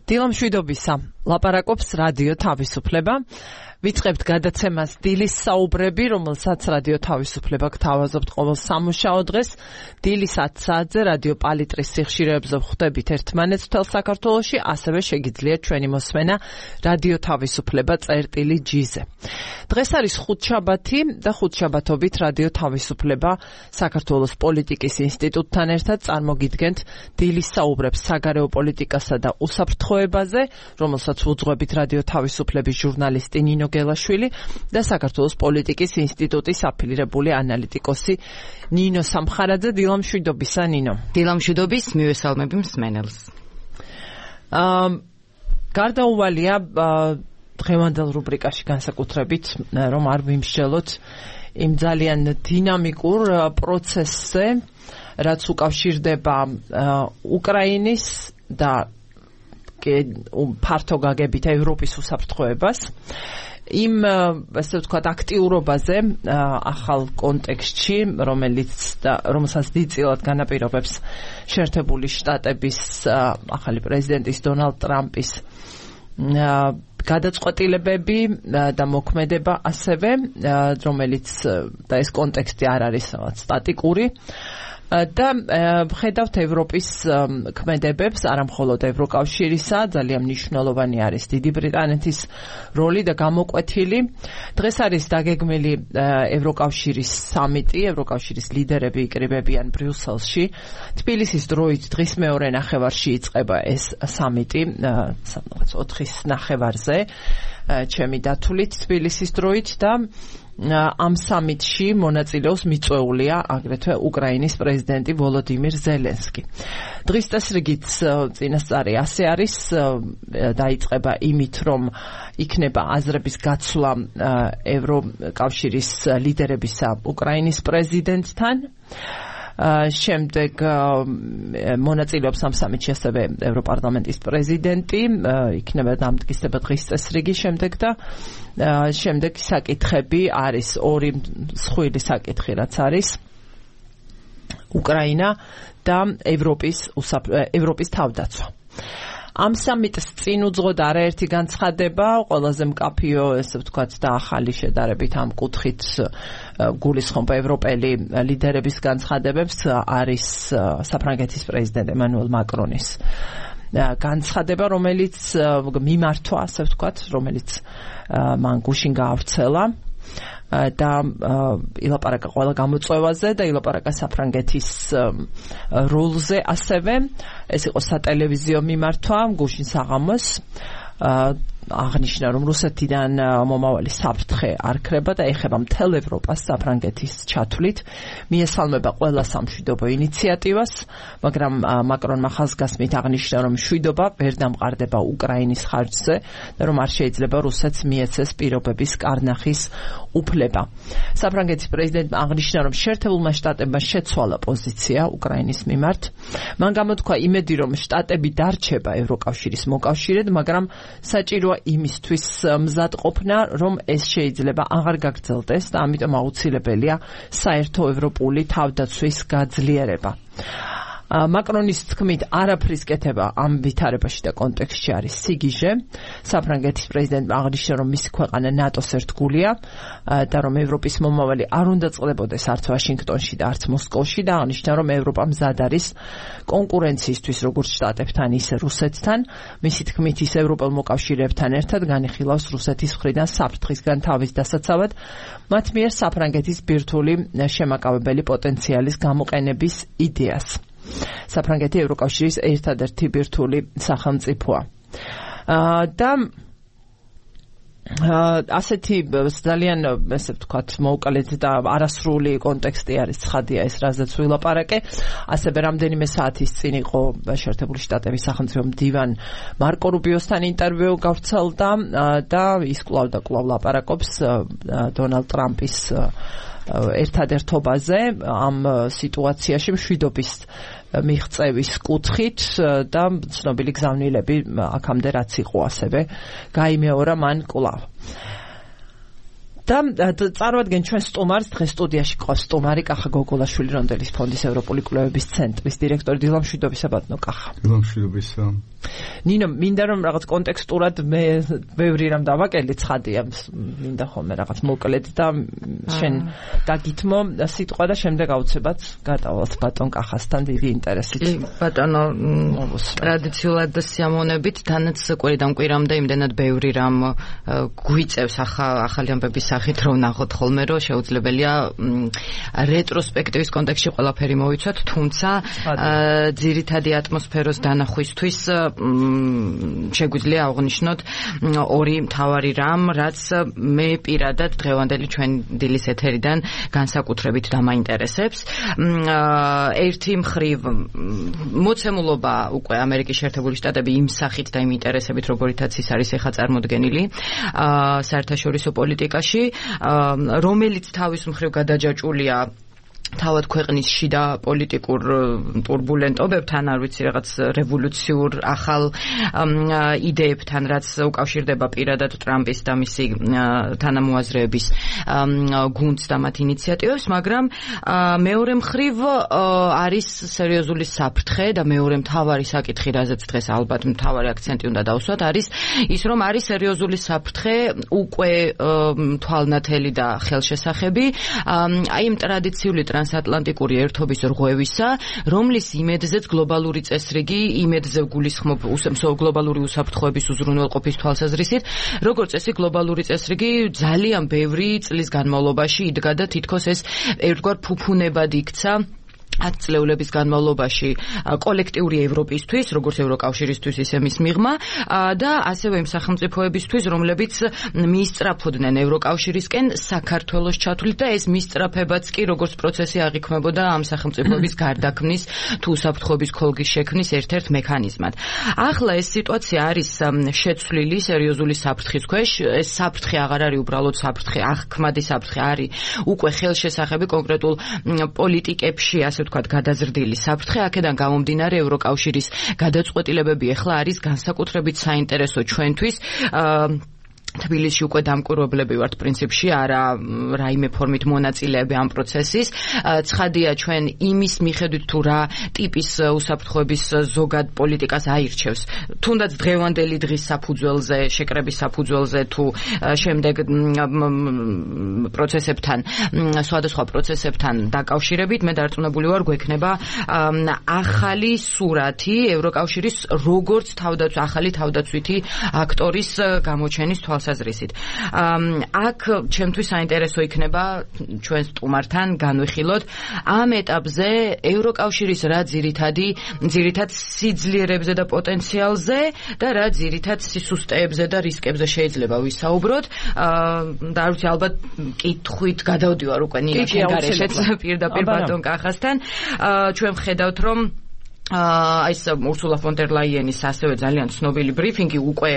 დილამშვიდობისა, ლაპარაკობს რადიო თავისუფლება. ვიწყებთ გადაცემას დილის საუბრები, რომელსაც რადიო თავისუფლება გთავაზობთ ყოველ სამუშაო დღეს. დილის 10 საათზე რადიო პალიტრის სიხშირეებზე ვხვდებით ერთმანეთს მთელ საქართველოში, ასევე შეგიძლიათ ჩვენი მოსმენა რადიო თავისუფლება წერტილი-G-ზე. დღეს არის ხუთშაბათი და ხუთშაბათობით რადიო თავისუფლება საქართველოს პოლიტიკის ინსტიტუტთან ერთად წარმოგიდგენთ დილის საუბრებს საგარეო პოლიტიკასა და უსაფრთხოებაზე, რომელსაც უძღვებით რადიო თავისუფლების ჟურნალისტი ნინო გელაშვილი და საქართველოს პოლიტიკის ინსტიტუტის აფილირებული ანალიტიკოსი ნინო სამხარაძე. დილამშვიდობისა, ნინო. დილამშვიდობის, მივესალმები მსმენელს. გარდაუვალია დღევანდელ რუბრიკაში განსაკუთრებით, რომ არ ვიმსჯელოთ იმ ძალიან დინამიკურ პროცესზე, რაც უკავშირდება უკრაინის და ფართო გაგებით ევროპის უსაფრთხოებას. იმ ასე ვთქვათ აქტიურობაზე ახალ კონტექსტში, რომელსაც დიდწილად განაპირობებს შეერთებული შტატების ახალი პრეზიდენტის დონალდ ტრამპის გადაწყვეტილებები და მოქმედება ასევე, რომელიც და ეს კონტექსტი არ არის სტატიკური. და ვხედავთ ევროპის ქმედებებს, არამხოლოდ ევროკავშირისა, ძალიან მნიშვნელოვანი არის დიდი ბრიტანეთის როლი და გამოკვეთილი. დღეს არის დაგეგმილი ევროკავშირის სამიტი, ევროკავშირის ლიდერები იკრიბებიან ბრიუსელში. თბილისის დროით დღის მეორე ნახევარში იწყება ეს სამიტი, 4-ის ნახევარზე, ჩემი დათვლით თბილისის დროით და ამ სამიტში მონაწილეობს მიწვეულია აგრეთვე უკრაინის პრეზიდენტი ვოლოდიმირ ზელენსკი. დღის წესრიგით წინასწარი ასე არის, დაიწყება იმით, რომ იქნება აზრების გაცვლა ევროკავშირის ლიდერებისა უკრაინის პრეზიდენტთან. შემდეგ მონაწილეობს ამ სამიტში ასევე ევროპარლამენტის პრეზიდენტი, იქნება დამტკიცება დღის წესრიგი შემდეგ და შემდეგ საკითხები არის ორი მსხვილი საკითხი, რაც არის უკრაინა და ევროპის თავდაცვა. ამ სამიტს წინ უძღოდა არაერთი განცხადება, ყველაზე მკაფიო, ესე ვთქვათ, და ახალი შედარებით ამ კუთხით გულისხმობა ევროპელი ლიდერების განცხადებებს არის საფრანგეთის პრეზიდენტ ემანუელ მაკრონის განცხადება, რომელიც მიმართვა, ასე ვთქვათ, რომელიც მან გუშინ გაავრცელა და ილაპარაკა ყველა გამოწვევაზე და ილაპარაკა საფრანგეთის როლზე ასევე. ეს იყო სატელევიზიო მიმართვა გუშინ საღამოს. აღნიშნა, რომ რუსეთიდან მომავალი საფრთხე არ ქრება და ეხება მთელ ევროპას საფრანგეთის ჩათვლით. მიესალმება ყველა სამშვიდობო ინიციატივას, მაგრამ მაკრონმა ხაზგასმით აღნიშნა, რომ მშვიდობა ვერ დამყარდება უკრაინის ხარჯზე და რომ არ შეიძლება რუსეთს მიეცეს პირობების კარნახის უფლება. საფრანგეთის პრეზიდენტმა აღნიშნა, რომ შეერთებულმა შტატებმა შეცვალა პოზიცია უკრაინის მიმართ. მან გამოთქვა იმედი, რომ შტატები დარჩება ევროკავშირის მოკავშირედ, მაგრამ საჭიროა იმისთვის მზადყოფნა, რომ ეს შეიძლება აღარ გაგრძელდეს და ამიტომ აუცილებელია საერთო ევროპული თავდაცვის გაძლიერება. მაკრონის თქმით, არაფრის კეთება ამ ვითარებაში და კონტექსტში არის სიგიჟე. საფრანგეთის პრეზიდენტმა აღნიშნა, რომ მისი ქვეყანა ნატოს ერთგულია და რომ ევროპის მომავალი არ უნდა წყდებოდეს არც ვაშინგტონში და არც მოსკოვში და აღნიშნა, რომ ევროპა მზად არის კონკურენციისთვის როგორც შტატებთან, ისე რუსეთთან. მისი თქმით, ის ევროპელ მოკავშირეებთან ერთად განიხილავს რუსეთის მხრიდან საფრთხისგან თავის დასაცავად, მათ მიერ საფრანგეთის ბირთვული შემაკავებელი პოტენციალის გამოყენების იდეას. საფრანგეთი ევროკავშირის ერთადერთი ბირთვული სახელმწიფოა. და ასეთი ძალიან, ესე ვთქვათ, მოუკლედ და არასრული კონტექსტი არის, ცხადია ეს, რაზეც ვილაპარაკე. ასევე რამდენიმე საათის წინ იყო შეერთებული შტატების სახელმწიფო მდივან მარკო რუბიოსთან ინტერვიუ გავრცელდა და ის კვლავ და კვლავ ლაპარაკობს დონალდ ტრამპის ერთადერთობაზე ამ სიტუაციაში მშვიდობის მიღწევის კუთხით და ცნობილი გზავნილები აქამდე რაც იყო ასევე გაიმეორა მან კვლავ. და წარმოადგენ ჩვენ სტუმარს დღეს სტუდიაში ყავს სტუმარი კახა გოგოლაშვილი რონდელის ფონდის ევროპული კვლევების ცენტრის დირექტორი დილამშვიდობისა ბატონო კახა. დილამშვიდობისა. ნინო, მინდა რომ რაღაც კონტექსტურად მე ბევრი რამ დავაკელე ცხადია, მინდა ხოლმე რაღაც მოკლედ და შენ დაგითმო სიტყვა და შემდეგ აუცილებლად გადავალთ ბატონ კახასთან დიდი ინტერესით. ბატონო, ტრადიციულად სიამოვნებით თანაც კვირიდან კვირამდე იმდენად ბევრი რამ გვიწევს ახალი ამბების სახით რომ ნახოთ ხოლმე რომ შეუძლებელია რეტროსპექტივის კონტექსტში ყველაფერი მოვიცვათ, თუმცა ძირითადი ატმოსფეროს დანახვისთვის შეგვიძლია აღვნიშნოთ ორი მთავარი რამ, რაც მე პირადად დღევანდელი ჩვენ დილის ეთერიდან განსაკუთრებით დამაინტერესებს. ერთი მხრივ მოცემულობა უკვე ამერიკის შეერთებული შტატები იმ სახით და იმ ინტერესებით, როგორითაც ის არის ეხლა წარმოდგენილი საერთაშორისო პოლიტიკაში, რომელიც თავის მხრივ გადაჯაჭვულია თავად ქვეყნის შიდა პოლიტიკურ ტურბულენტობებთან, არ ვიცი, რაღაც რევოლუციურ ახალ იდეებთან, რაც უკავშირდება პირადად ტრამპის და მისი თანამოაზრეების გუნდს და მათ ინიციატივებს, მაგრამ მეორე მხრივ არის სერიოზული საფრთხე და მეორე მთავარი საკითხი, რაზეც დღეს ალბათ მთავარი აქცენტი უნდა დავსვათ, არის ის, რომ არის სერიოზული საფრთხე უკვე თვალნათელი და ხელშესახები აი იმ ტრადიციული ტრანსატლანტიკური ერთობის რღვევისა, რომლის იმედზეც გლობალური წესრიგი, იმედზე გულისხმობ გლობალური უსაფრთხოების უზრუნველყოფის თვალსაზრისით, როგორც წესი გლობალური წესრიგი ძალიან ბევრი წლის განმავლობაში იდგა და თითქოს ეს ერთგვარ ფუფუნებად იქცა 10 წლეულების განმავლობაში კოლექტიური ევროპისთვის, როგორც ევროკავშირისთვის, ისე მის მიღმა და ასევე იმ სახელმწიფოებისთვის, რომლებიც მიისწრაფოდნენ ევროკავშირისკენ საქართველოს ჩათვლით და ეს მისწრაფებაც კი როგორც პროცესი აღიქმებოდა ამ სახელმწიფოების გარდაქმნის თუ უსაფრთხოების ქოლგის შექმნის ერთ-ერთ მექანიზმად. ახლა ეს სიტუაცია არის შეცვლილი სერიოზული საფრთხის ქვეშ. ეს საფრთხე აღარ არის უბრალოდ საფრთხე, აღქმადი საფრთხე არის უკვე ხელშესახები კონკრეტულ პოლიტიკებში, ასე ვთქვათ, გადაზრდილი საფრთხე. აქედან გამომდინარე ევროკავშირის გადაწყვეტილებები ახლა არის განსაკუთრებით საინტერესო ჩვენთვის. თბილისში უკვე დამკვირვებლები ვართ პრინციპში, არა რაიმე ფორმით მონაწილეები ამ პროცესის. ცხადია ჩვენ იმის მიხედვით თუ რა ტიპის უსაფრთხოების ზოგად პოლიტიკას აირჩევს. თუნდაც დღევანდელი დღის საფუძველზე, შეკრების საფუძველზე თუ შემდეგ პროცესებთან, სხვადასხვა პროცესებთან დაკავშირებით, მე დარწმუნებული ვარ, გვექნება ახალი სურათი ევროკავშირის როგორც ახალი თავდაცვითი აქტორის გამოჩენის თვალსაზრისით. აქ ჩემთვის საინტერესო იქნება ჩვენ სტუმართან განვიხილოთ ამ ეტაპზე ევროკავშირის რა ძირითად სიძლიერებზე და პოტენციალზე და რა ძირითად სისუსტეებზე და რისკებზე შეიძლება ვისაუბროთ. და არ ვიცი, ალბათ კითხვით გადავდივარ უკვე ნინო შეგარეშეც პირდაპირ ბატონ კახასთან. ჩვენ ვხედავთ, რომ ეს ურსულა ფონ დერ ლაიენის ასევე ძალიან ცნობილი ბრიფინგი, უკვე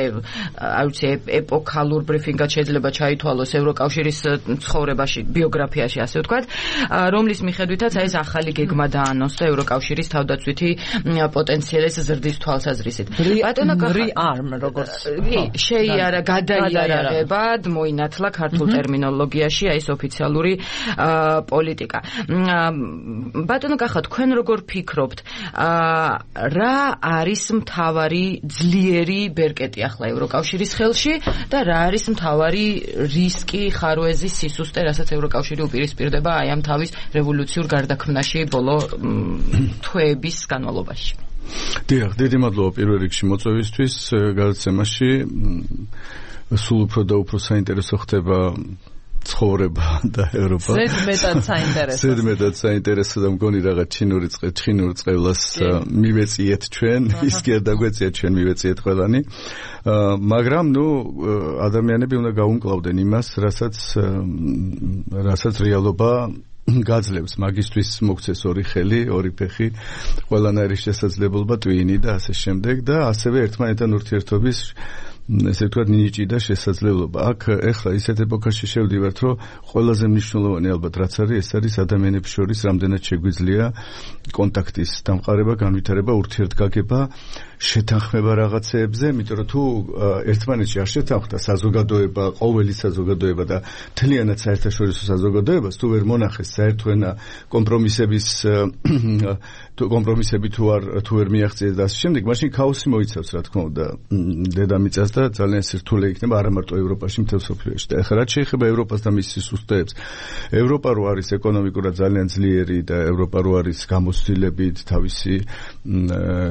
არ ვიცი ეპოქალურ ბრიფინგად შეიძლება ჩაითვალოს ევროკავშირის ცხოვრებაში, ბიოგრაფიაში, ასე ვთქვათ, რომლის მიხედვითაც ეს ახალი გეგმა დაანონსა ევროკავშირის თავდაცვითი პოტენციალის ზრდის თვალსაზრისით. ბატონო არმ როგორც შეიარა გადაიარაღებად მოინათლა ქართულ ტერმინოლოგიაში ეს ოფიციალური პოლიტიკა. ბატონო კახა, თქვენ როგორ ფიქრობთ, რა არის მთავარი ძლიერი ბერკეტი ახლა ევროკავშირის ხელში და რა არის მთავარი რისკი, ხარვეზი, სისუსტე, რასაც ევროკავშირი უპირისპირდება აი ამ თავის რევოლუციურ გარდაქმნაში ბოლო თვეების განმავლობაში? დიახ, დიდი მადლობა პირველ რიგში მოწვევისთვის გადაცემაში. სულ უფრო და უფრო საინტერესო ხდება ცხოვრება და ევროპა. ზედმეტად საინტერესო და მგონი რაღაც ჩინური წყევლას მივეწიეთ ჩვენ, ის კი არ დაგვეწიათ, ჩვენ მივეწიეთ ყველანი. მაგრამ ადამიანები უნდა გაუმკლავდნენ იმას, რასაც რეალობა გაძლევს. მაგისთვის მოგცეს ორი ხელი, ორი ფეხი, ყველანაირი შესაძლებლობა, ტვინი და ასე შემდეგ და ასევე ერთმანეთთან ურთიერთობის ესე ვთქვათ ნიჭი და შესაძლებლობა. აქ ეხლა ისეთ ეპოქაში შევდივართ, რომ ყველაზე მნიშვნელოვანი ალბათ რაც არის, ეს არის ადამიანებს შორის რამდენად შეგვიძლია კონტაქტის დამყარება, განვითარება, ურთიერთგაგება, შეთანხმება რაღაცეებზე, იმიტომ რომ თუ ერთმანეთში არ შეთანხმდა საზოგადოება, ყოველი საზოგადოება და მთლიანად საერთაშორისო საზოგადოებას თუ ვერ მონახეს საერთო ენა კომპრომისები თუ ვერ მიაღწიეს და ასე შემდეგ, მაშინ ქაოსი მოიცავს, რა თქმა უნდა, დედამიწას და ძალიან სირთულე იქნება არა მარტო ევროპაში, მთელ მსოფლიოში. და ეხლა რაც შეეხება ევროპას და მის სისტემებს, ევროპა რო არის ეკონომიკურად ძალიან ძლიერი და ევროპა რო არის გამოცდილებით თავისი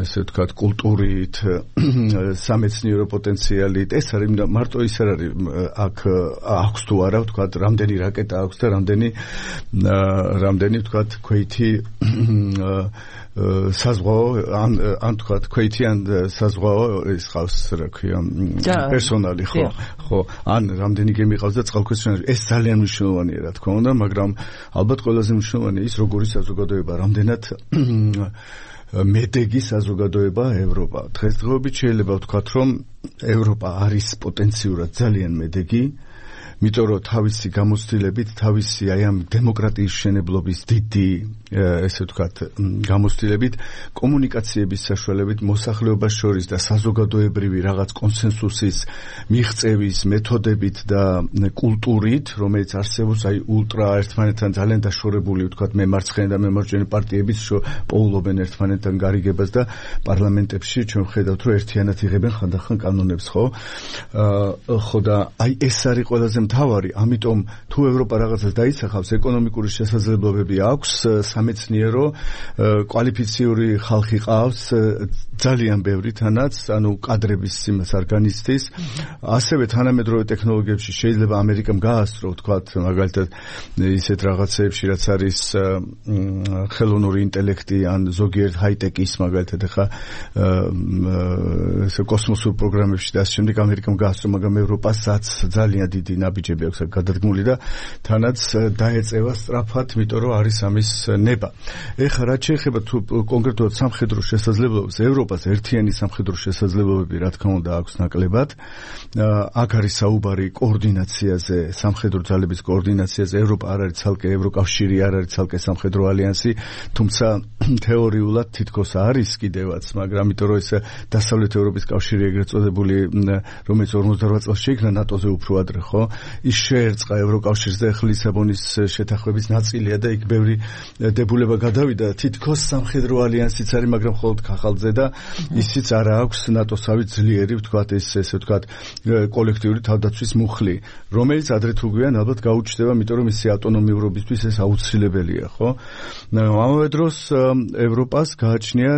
ესე ვთქვათ კულტურით, სამეცნიერო პოტენციალით, ეს არის მარტო ის არ არის აქ აქვს თუ არა ვთქვათ რამდენი რაკეტა აქვს და რამდენი ვთქვათ ქვეითი საზღვაო ან თქვათ ქვეითი ან საზღვაო ის ხავს რა ქვია პერსონალი ხო ან რამდენი გემი ყავს და წყალქვეშ ეს ძალიან მნიშვნელოვანია რა თქმა უნდა, მაგრამ ალბათ ყველაზე მნიშვნელოვანია ის როგორი საზოგადოება, რამდენად მედეგი საზოგადოება ევროპა. დღესდღეობით შეიძლება ვთქვათ, რომ ევროპა არის პოტენციურად ძალიან მედეგი, იმიტომ რომ თავისი გამოცდილებით, თავისი აი ამ დემოკრატიის მშენებლობის დიდი ესე ვთქვათ გამოცდილებით, კომუნიკაციების საშუალებით მოსახლეობას შორის და საზოგადოებრივი რაღაც კონსენსუსის მიღწევის მეთოდებით და კულტურით, რომელიც არსებობს აი ულტრა ერთმანეთთან ძალიან დაშორებული ვთქვათ მემარცხენე და მემარჯვენე პარტიების პოულობენ ერთმანეთთან გარიგებას და პარლამენტებში ჩვენ ვხედავთ რომ ერთიანად იღებენ ხანდახან კანონებს, ხო და აი ეს არის ყველაზე მთავარი, ამიტომ თუ ევროპა რაღაცას დაიცახავს, ეკონომიკური შესაძლებლობები აქვს, სამეცნიერო კვალიფიციური ხალხი ყავს, ძალიან ბევრი თანაც, ანუ კადრების სიმას არ განიცდის. ასევე თანამედროვე ტექნოლოგიებში შეიძლება ამერიკამ გაასწრო, ვთქვათ, მაგალითად ისეთ რაღაცეებში, რაც არის ხელოვნური ინტელექტი ან ზოგიერთ ჰაიტეკის, მაგალითად ახლა კოსმოსურ პროგრამებში და ასე შემდეგ ამერიკამ გაასწრო, მაგრამ ევროპასაც ძალიან დიდი ნაბიჯები აქვს გადადგმული და თანაც დაეწევა სწრაფად, იმიტომ რომ არის ამის ნება. ეხლა რაც შეეხება თუ კონკრეტულად სამხედრო შესაძლებლობებს, ევროპას ერთიანი სამხედრო შესაძლებლობები რა თქმა უნდა აქვს ნაკლებად. აქ არის საუბარი კოორდინაციაზე, სამხედრო ძალების კოორდინაციაზე. ევროპა არ არის ცალკე ევროკავშირი, არ არის ცალკე სამხედრო ალიანსი, თუმცა თეორიულად თითქოს არის კიდევაც, მაგრამ იმიტომ რომ ეს დასავლეთ ევროპის კავშირი ეგრეთ წოდებული, რომელიც 58 წელს შეიქმნა ნატოზე უფრო ადრე, ხო? ის შეერწყა ევროკავშირს და ახლა ლისაბონის შეთანხმების ნაწილია და იქ ბევრი დებულება გადავიდა. თითქოს სამხედრო ალიანსიც არის, მაგრამ მხოლოდ ქაღალდზე და ისიც არ აქვს ნატოსავით ძლიერი, ვთქვათ, ესე ვთქვათ, კოლექტიური თავდაცვის მუხლი, რომელიც ადრე თუ გვიან ალბათ გაუჩნდება, იმიტომ რომ მისი ავტონომიურობისთვის ეს აუცილებელია, ხო? ამავე დროს ევროპას გააჩნია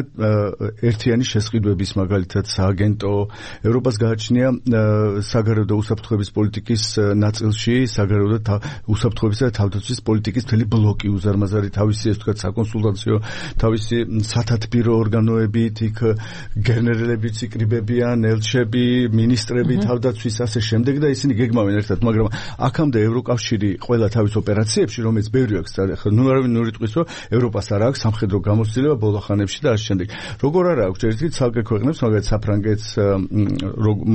ერთიანი შესყიდვების, მაგალითად სააგენტო, ევროპას გააჩნია საგარეო და უსაფრთხოების პოლიტიკის ნაწილში საგარეო და უსაფრთხოებისა და თავდაცვის პოლიტიკის მთელი ბლოკი უზარმაზარი, თავისი ეს ვთქვათ საკონსულტაციო, თავისი სათათბირო ორგანოებით, იქ გენერლებიც იკრიბებიან, ელჩები, ministrები, თავდაცვის ასე შემდეგ და ისინი გეგმავენ ერთად, მაგრამ აქამდე ევროკავშირი ყველა თავის ოპერაციებში, რომელიც ბევრი აქვს, ახლა არავინ ნუ იტყვის, რომ ევროპას არ აქვს სამხედრო გამოცდილება ბოლოხანებში და ასე შემდეგ. როგორ არ აქვს ერთი ცალკე ქვეყნებს, მაგალითად საფრანგეთს,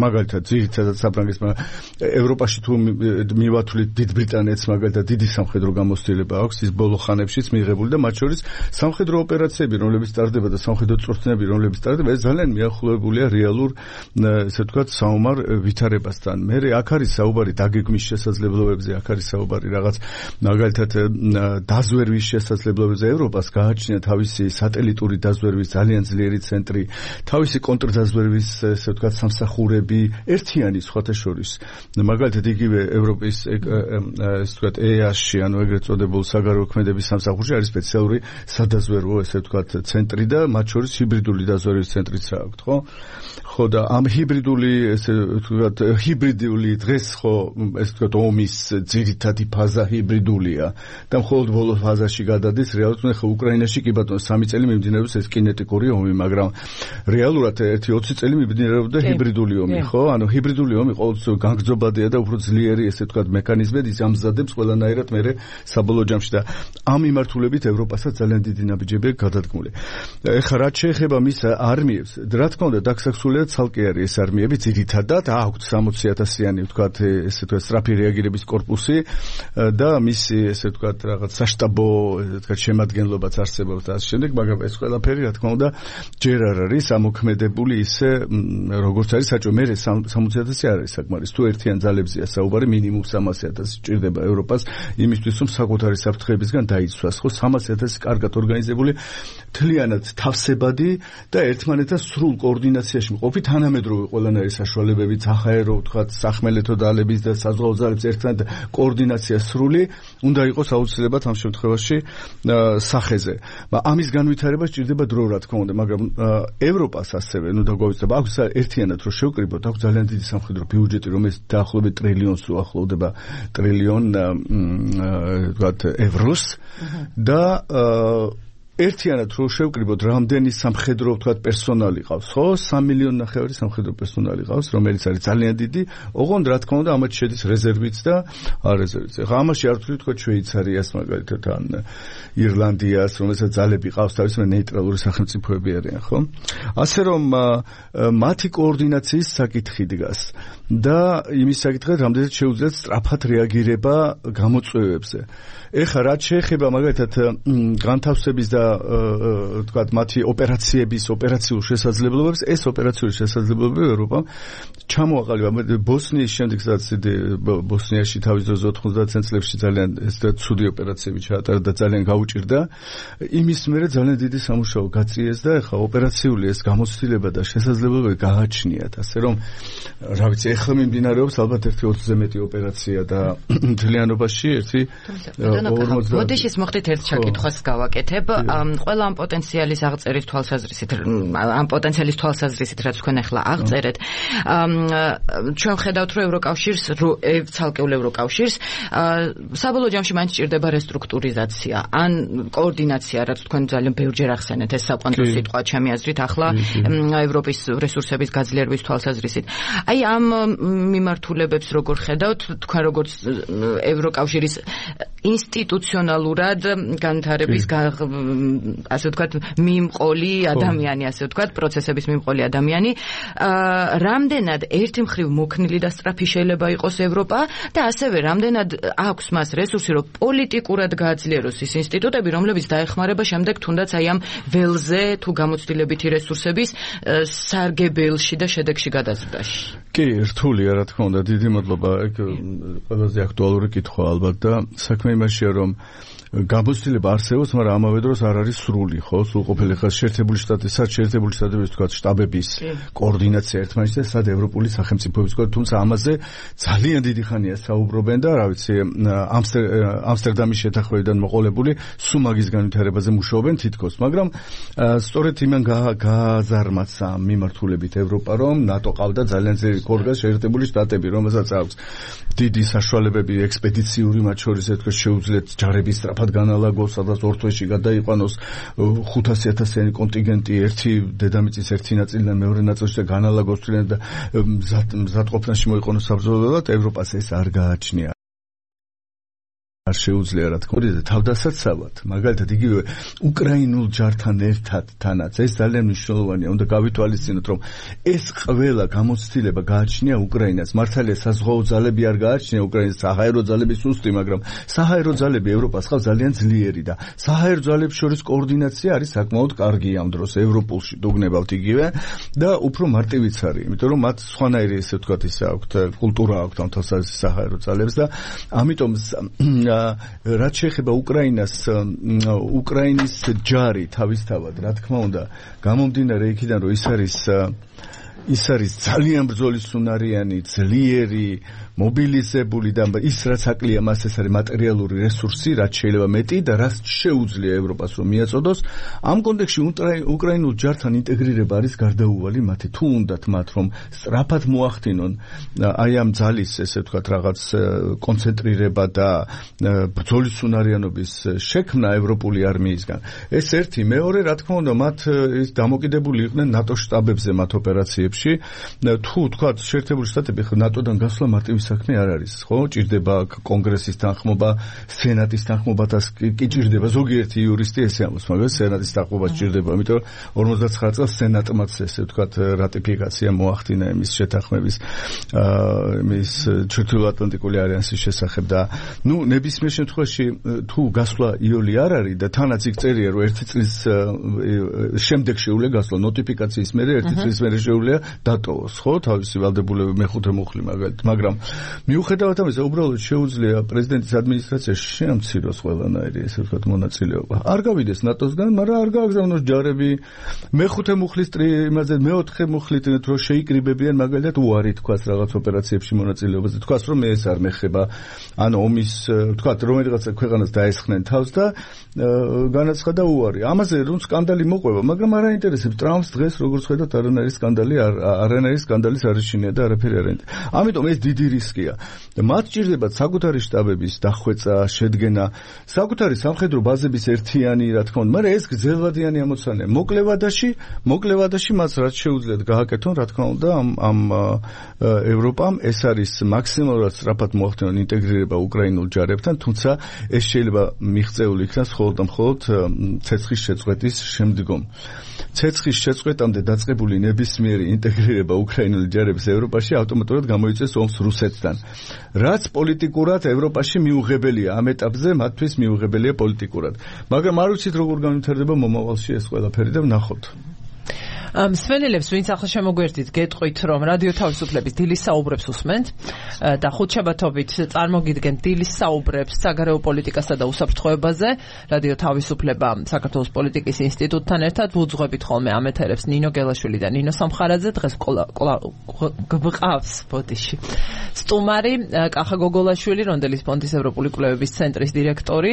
მაგალითად ძირითადად საფრანგეთს, ევროპაში თუ მივათვლით დიდ ბრიტანეთს, მაგალითად დიდი სამხედრო გამოცდილება აქვს, ის ბოლოხანებშიც მიღებული და მათ შორის სამხედრო ოპერაციები, რომლებიც ტარდება და სამხედრო წვრთნები, რომლებიც ტარდება, ეს ძალიან მიახლოებულია რეალურ, ესე ვთქვათ, საომარ ვითარებასთან. მე აქ არის საუბარი დაგეგმვის შესაძლებლობებზე, აქ არის საუბარი რაღაც მაგალითად დაზვერვის შესაძლებლობებზე. ევროპას გააჩნია თავისი სატელიტური დაზვერვის ძალიან ძლიერი ცენტრი, თავისი კონტრდაზვერვის, ესე ვთქვათ, სამსახურები, ერთიანი სხვათა შორის. მაგალითად იგივე ევროპის ესე ვთქვათ EAS-ში, ანუ ეგრეთ წოდებულ საგარეო ქმედების სამსახურში არის სპეციალური სადაზვერვო, ესე ვთქვათ, ცენტრი და მათ შორის ჰიბრიდული დაზვერვის ცენტრიც აქვს, ხო? ხო და ამ ჰიბრიდული, ესე ვთქვათ, ჰიბრიდული დღეს ხო, ესე ვთქვათ, ომის ძირითადი ფაზა ჰიბრიდულია და მხოლოდ ბოლო ფაზაში გადადის რეალურად. ხო, უკრაინაში კი ბატონო 3 წელი მიმდინარეობს ეს კინეტიკური ომი, მაგრამ რეალურად ერთი 20 წელი მიმდინარეობდა ჰიბრიდული ომი, ხო? ანუ ჰიბრიდული ომი ყოველთვის განგრძობადია და უფრო ძლიერი სულიერი ესე ვთქვათ მექანიზმები ის ამზადებს ყველანაირად მე საბოლოო ჯამში და ამ მიმართულებით ევროპასაც ძალიან დიდი ნაბიჯები გადადგმული. ეხლა რაც შეეხება მის არმიებს, რა თქმა უნდა დაქსაქსულია ცალკე არის ეს არმიები ძირითადად აქვთ 60,000-იანი ვთქვათ ესე ვთქვათ სწრაფი რეაგირების კორპუსი და მისი ესე ვთქვათ რაღაც საშტაბო ესე ვთქვათ შემადგენლობაც არსებობს და ასე შემდეგ, მაგრამ ეს ყველაფერი რა თქმა უნდა ჯერ არ არის ამოქმედებული ისე როგორც არის საჭირო. მე 60,000 არ არის საკმარის. თუ ერთიან ძალებზეა საუბარი, მინიმუმ 300,000 ჭირდება ევროპას იმისთვის, რომ საკუთარი საფრთხეებისგან დაიცვას. ხო 300,000 კარგად ორგანიზებული, მთლიანად თავსებადი და ერთმანეთთან სრულ კოორდინაციაში მყოფი თანამედროვე ყველანაირი საშუალებებით, საჰაერო ვთქვათ, სახმელეთო ძალების და საზღვაო ძალების ერთმანეთ კოორდინაცია სრული უნდა იყოს აუცილებლად ამ შემთხვევაში სახეზე. ამის განვითარება სჭირდება დრო რა თქმა უნდა, მაგრამ ევროპას ასევე ნუ დაგვავიწყდება აქვს ერთიანად რომ შევკრიბოთ, აქვს ძალიან დიდი სამხედრო ბიუჯეტი, რომელიც დაახლოებით ტრილიონს უახლოვდება ტრილიონ ვთქვათ ევროს და ერთიანად რო შევკრიბოთ რამდენი სამხედრო ვთქვათ პერსონალი ყავს, ხო? 3 მილიონი ნახევარი სამხედრო პერსონალი ყავს, რომელიც არის ძალიან დიდი. ოღონდ რა თქმა უნდა, ამათ შედის რეზერვიც და არეზერვიც. ახლა ამაში არ ვთვლით თქო შვეიცარიას მაგალითად ან ირლანდიას, რომელსაც ძალები ყავს, თავისუფლად ნეიტრალური სახელმწიფოები არიან, ხო? ასე რომ მათი კოორდინაციის საკითხი დგას და იმის საკითხი, რამდენად შეუძლიათ სწრაფად რეაგირება გამოწვევებზე. ეხლა რაც შეეხება მაგალითად განთავსების და ვთქვათ მათი ოპერაციულ შესაძლებლობებს, ეს ოპერაციული შესაძლებლობები ევროპამ ჩამოაყალიბა ბოსნიის შემდეგ, სადაც ბოსნიაში თავის დროზე 90 წლებში ძალიან ცუდი ოპერაციები ჩაატარა და ძალიან გაუჭირდა. იმის მერე ძალიან დიდი სამუშაო გაწიეს და ეხლა ოპერაციული ეს გამოცდილება და შესაძლებლობები გააჩნიათ. ასე რომ რა ვიცი, ეხლა მიმდინარეობს ალბათ ერთი 20-ზე მეტი ოპერაცია და მთლიანობაში ერთი მოდი ის მოხდით ერთ შეკითხვას გავაკეთებ. ყველა ამ პოტენციალის აღწერის თვალსაზრისით, ამ პოტენციალის თვალსაზრისით, რაც თქვენ ახლა აღწერეთ, ჩვენ ხედავთ, რომ ევროკავშირს, ცალკეულ ევროკავშირს საბოლოო ჯამში მაინც ჭირდება რესტრუქტურიზაცია, ან კოორდინაცია, რაც თქვენ ძალიან ბევრჯერ ახსენეთ, ეს საკვანტო სიტყვა ჩემი აზრით, ახლა ევროპის რესურსების გაძლიერების თვალსაზრისით. აი ამ მიმართულებებს როგორ ხედავთ, თქვენ როგორც ევროკავშირის ინსტიტუციონალურად განვითარების ასე ვთქვათ მიმყოლი ადამიანი, ასე ვთქვათ პროცესების მიმყოლი ადამიანი, რამდენად ერთი მხრივ მოქნილი და სწრაფი შეიძლება იყოს ევროპა და ასევე რამდენად აქვს მას რესურსი, რომ პოლიტიკურად გააძლიეროს ის ინსტიტუტები, რომლებიც დაეხმარება შემდეგ თუნდაც აი ამ ველზე თუ გამოცდილებითი რესურსების სარგებელში და შედეგში გადაზრდაში. კი, რთულია რა თქმა უნდა, დიდი მადლობა. ეგ ყველაზე აქტუალური კითხვა ალბათ და საქმე იმაშია, რომ გამოცდილება არსებობს, მაგრამ ამავე დროს არ არის სრული, ხო? სრულყოფილი ხარ შეერთებული შტატების თქვა შტაბების კოორდინაცია ერთმანეთთან, სად ევროპული სახელმწიფოების კოორდინაცია, თუმცა ამაზე ძალიან დიდი ხანია საუბრობენ და რა ვიცი, ამსტერდამის შეთანხმებიდან მოყოლებული სუმაგის განვითარებაზე მუშაობენ თითქოს, მაგრამ სწორედ იმან გააზარმაცა მიმართულებით ევროპა, რომ ნატო ყავდა ძალიან ძლიერი კოორდინაცია შეერთებული შტატები, რომელსაც აქვს დიდი საშუალებები ექსპედიციური, მათ შორის ეთქო შეუძლიათ ჯარების სწრაფად განალაგოს, სადაც ორ თვეში გადაიყვანოს 500,000-იანი კონტინგენტი ერთი დედამიწის ერთი ნაწილიდან მეორე ნაწილში და განალაგოს თვლიან და მზადყოფნაში მოიყონოს საბრძოლველად, ევროპას ეს არ გააჩნია. არ შეუძლია რა თქმა უნდა თავდასაცავად, მაგალითად იგივე უკრაინულ ჯართან ერთად თანაც ეს ძალიან მნიშვნელოვანია, უნდა გავითვალისწინოთ, რომ ეს ყველა გამოცდილება გააჩნია უკრაინას. მართალია საზღვაო ძალები არ გააჩნია უკრაინას, საჰაერო ძალები სუსტი, მაგრამ საჰაერო ძალები ევროპას ხავს ძალიან ძლიერი და საჰაერო ძალებს შორის კოორდინაცია არის საკმაოდ კარგი ამ დროს ევროპულში დაგნებავთ იგივე და უფრო მარტივიც არის, იმიტომ რომ მათ სხვანაირი ესე ვთქვათ ისე აქვთ კულტურა აქვთ ამ თვალსაზრისით საჰაერო ძალებს და ამიტომ რაც შეეხება უკრაინის ჯარი თავისთავად, რა თქმა უნდა, გამომდინარე იქიდან, რომ ის არის ძალიან ბრძოლისუნარიანი, ძლიერი, მობილიზებული და ის რაც აკლია მას ეს არის მატერიალური რესურსი, რაც შეიძლება მეტი და რაც შეუძლია ევროპას რომ მიაწოდოს. ამ კონტექსტში უკრაინულ ჯართან ინტეგრირება არის გარდაუვალი მათი. თუ უნდათ მათ რომ სწრაფად მოახდინონ აი ამ ძალის ესე ვთქვათ რაღაც კონცენტრირება და ბრძოლისუნარიანობის შექმნა ევროპული არმიისგან. ეს ერთი, მეორე რა თქმა უნდა მათ ის დამოკიდებული იყვნენ ნატო შტაბებზე მათ ოპერაციებში პერიოდებში თუ თქვა შეერთებული შტატები ნატოდან გასვლა მარტივი საქმე არ არის ხო ჭირდება კონგრესის თანხმობა სენატის თანხმობა და კი ჭირდება ზოგიერთი იურისტი ესე ამბობს მაგრამ სენატის თანხმობა ჭირდება იმიტომ 59 წელს სენატმაც ესე ვთქვათ რატიფიკაცია მოახდინა იმის შეთანხმების იმის ჩრდილოატლანტიკური ალიანსის შესახებ და ნუ ნებისმიერ შემთხვევაში თუ გასვლა იოლი არ არის და თანაც იქ წერია რომ ერთი წლის შემდეგ შეუძლია გასვლა ნოტიფიკაციის მერე ერთი წლის მერე შეუძლია დატოვოს ხო თავისი ვალდებულება მეხუთე მუხლი მაგრამ მიუხედავად ამისა უბრალოდ შეუძლია პრეზიდენტის ადმინისტრაციაში შეამციროს ყველანაირი ესე ვთქვათ მონაწილეობა არ გავიდეს ნატოსგან მაგრამ არ გააგზავნოს ჯარები მეხუთე მუხლის იმაზე მეოთხე მუხლით რომ შეიკრიბებიან მაგალითად უარი თქვას რაღაც ოპერაციებში მონაწილეობაზე თქვას რომ მე ეს არ მეხება ანუ ომის ვთქვათ რომელიღაცა ქვეყანას დაესხნენ თავს და განაცხადა უარი ამაზე რომ სკანდალი მოყვება მაგრამ არ აინტერესებს ტრამპს დღეს როგორც ხედავთ არანაირი სკანდალის არ ეშინია და არაფერი არ აინტერესებს ამიტომ ეს დიდი რისკია მათ ჭირდებათ საკუთარი შტაბების დახვეწა შედგენა საკუთარი სამხედრო ბაზების ერთიანი რა თქმა უნდა მაგრამ ეს გრძელვადიანი ამოცანაა მოკლევადაში მას რაც შეუძლიათ გააკეთონ რა თქმა უნდა ამ ევროპამ ეს არის მაქსიმალურად სწრაფად მოახდინონ ინტეგრირება უკრაინულ ჯარებთან თუმცა ეს შეიძლება მიღწეული იქნას მხოლოდ და მხოლოდ ცეცხლის შეწყვეტის შემდგომ ცეცხლის შეწყვეტამდე დაწყებული ნებისმიერი ინტეგრირება უკრაინული ჯარების ევროპაში ავტომატურად გამოიწვევს ომს რუსეთთან რაც პოლიტიკურად ევროპაში მიუღებელია ამ ეტაპზე მათთვის მიუღებელია პოლიტიკურად მაგრამ არ ვიცით როგორ განვითარდება მომავალში ეს ყველაფერი და ვნახოთ მსმენელებს ვინც ახლა შემოგვერდით გეტყვით რომ რადიო თავისუფლების დილის საუბრებს უსმენთ და ხუთშაბათობით წარმოგიდგენთ დილის საუბრებს საგარეო პოლიტიკასა და უსაფრთხოებაზე რადიო თავისუფლება საქართველოს პოლიტიკის ინსტიტუტთან ერთად ვუძღვებით ხოლმე ამ ეთერებს ნინო გელაშვილი და ნინო სამხარაძე დღეს გვყავს ბოდიში სტუმარი კახა გოგოლაშვილი რონდელის ფონდის ევროპული კვლევების ცენტრის დირექტორი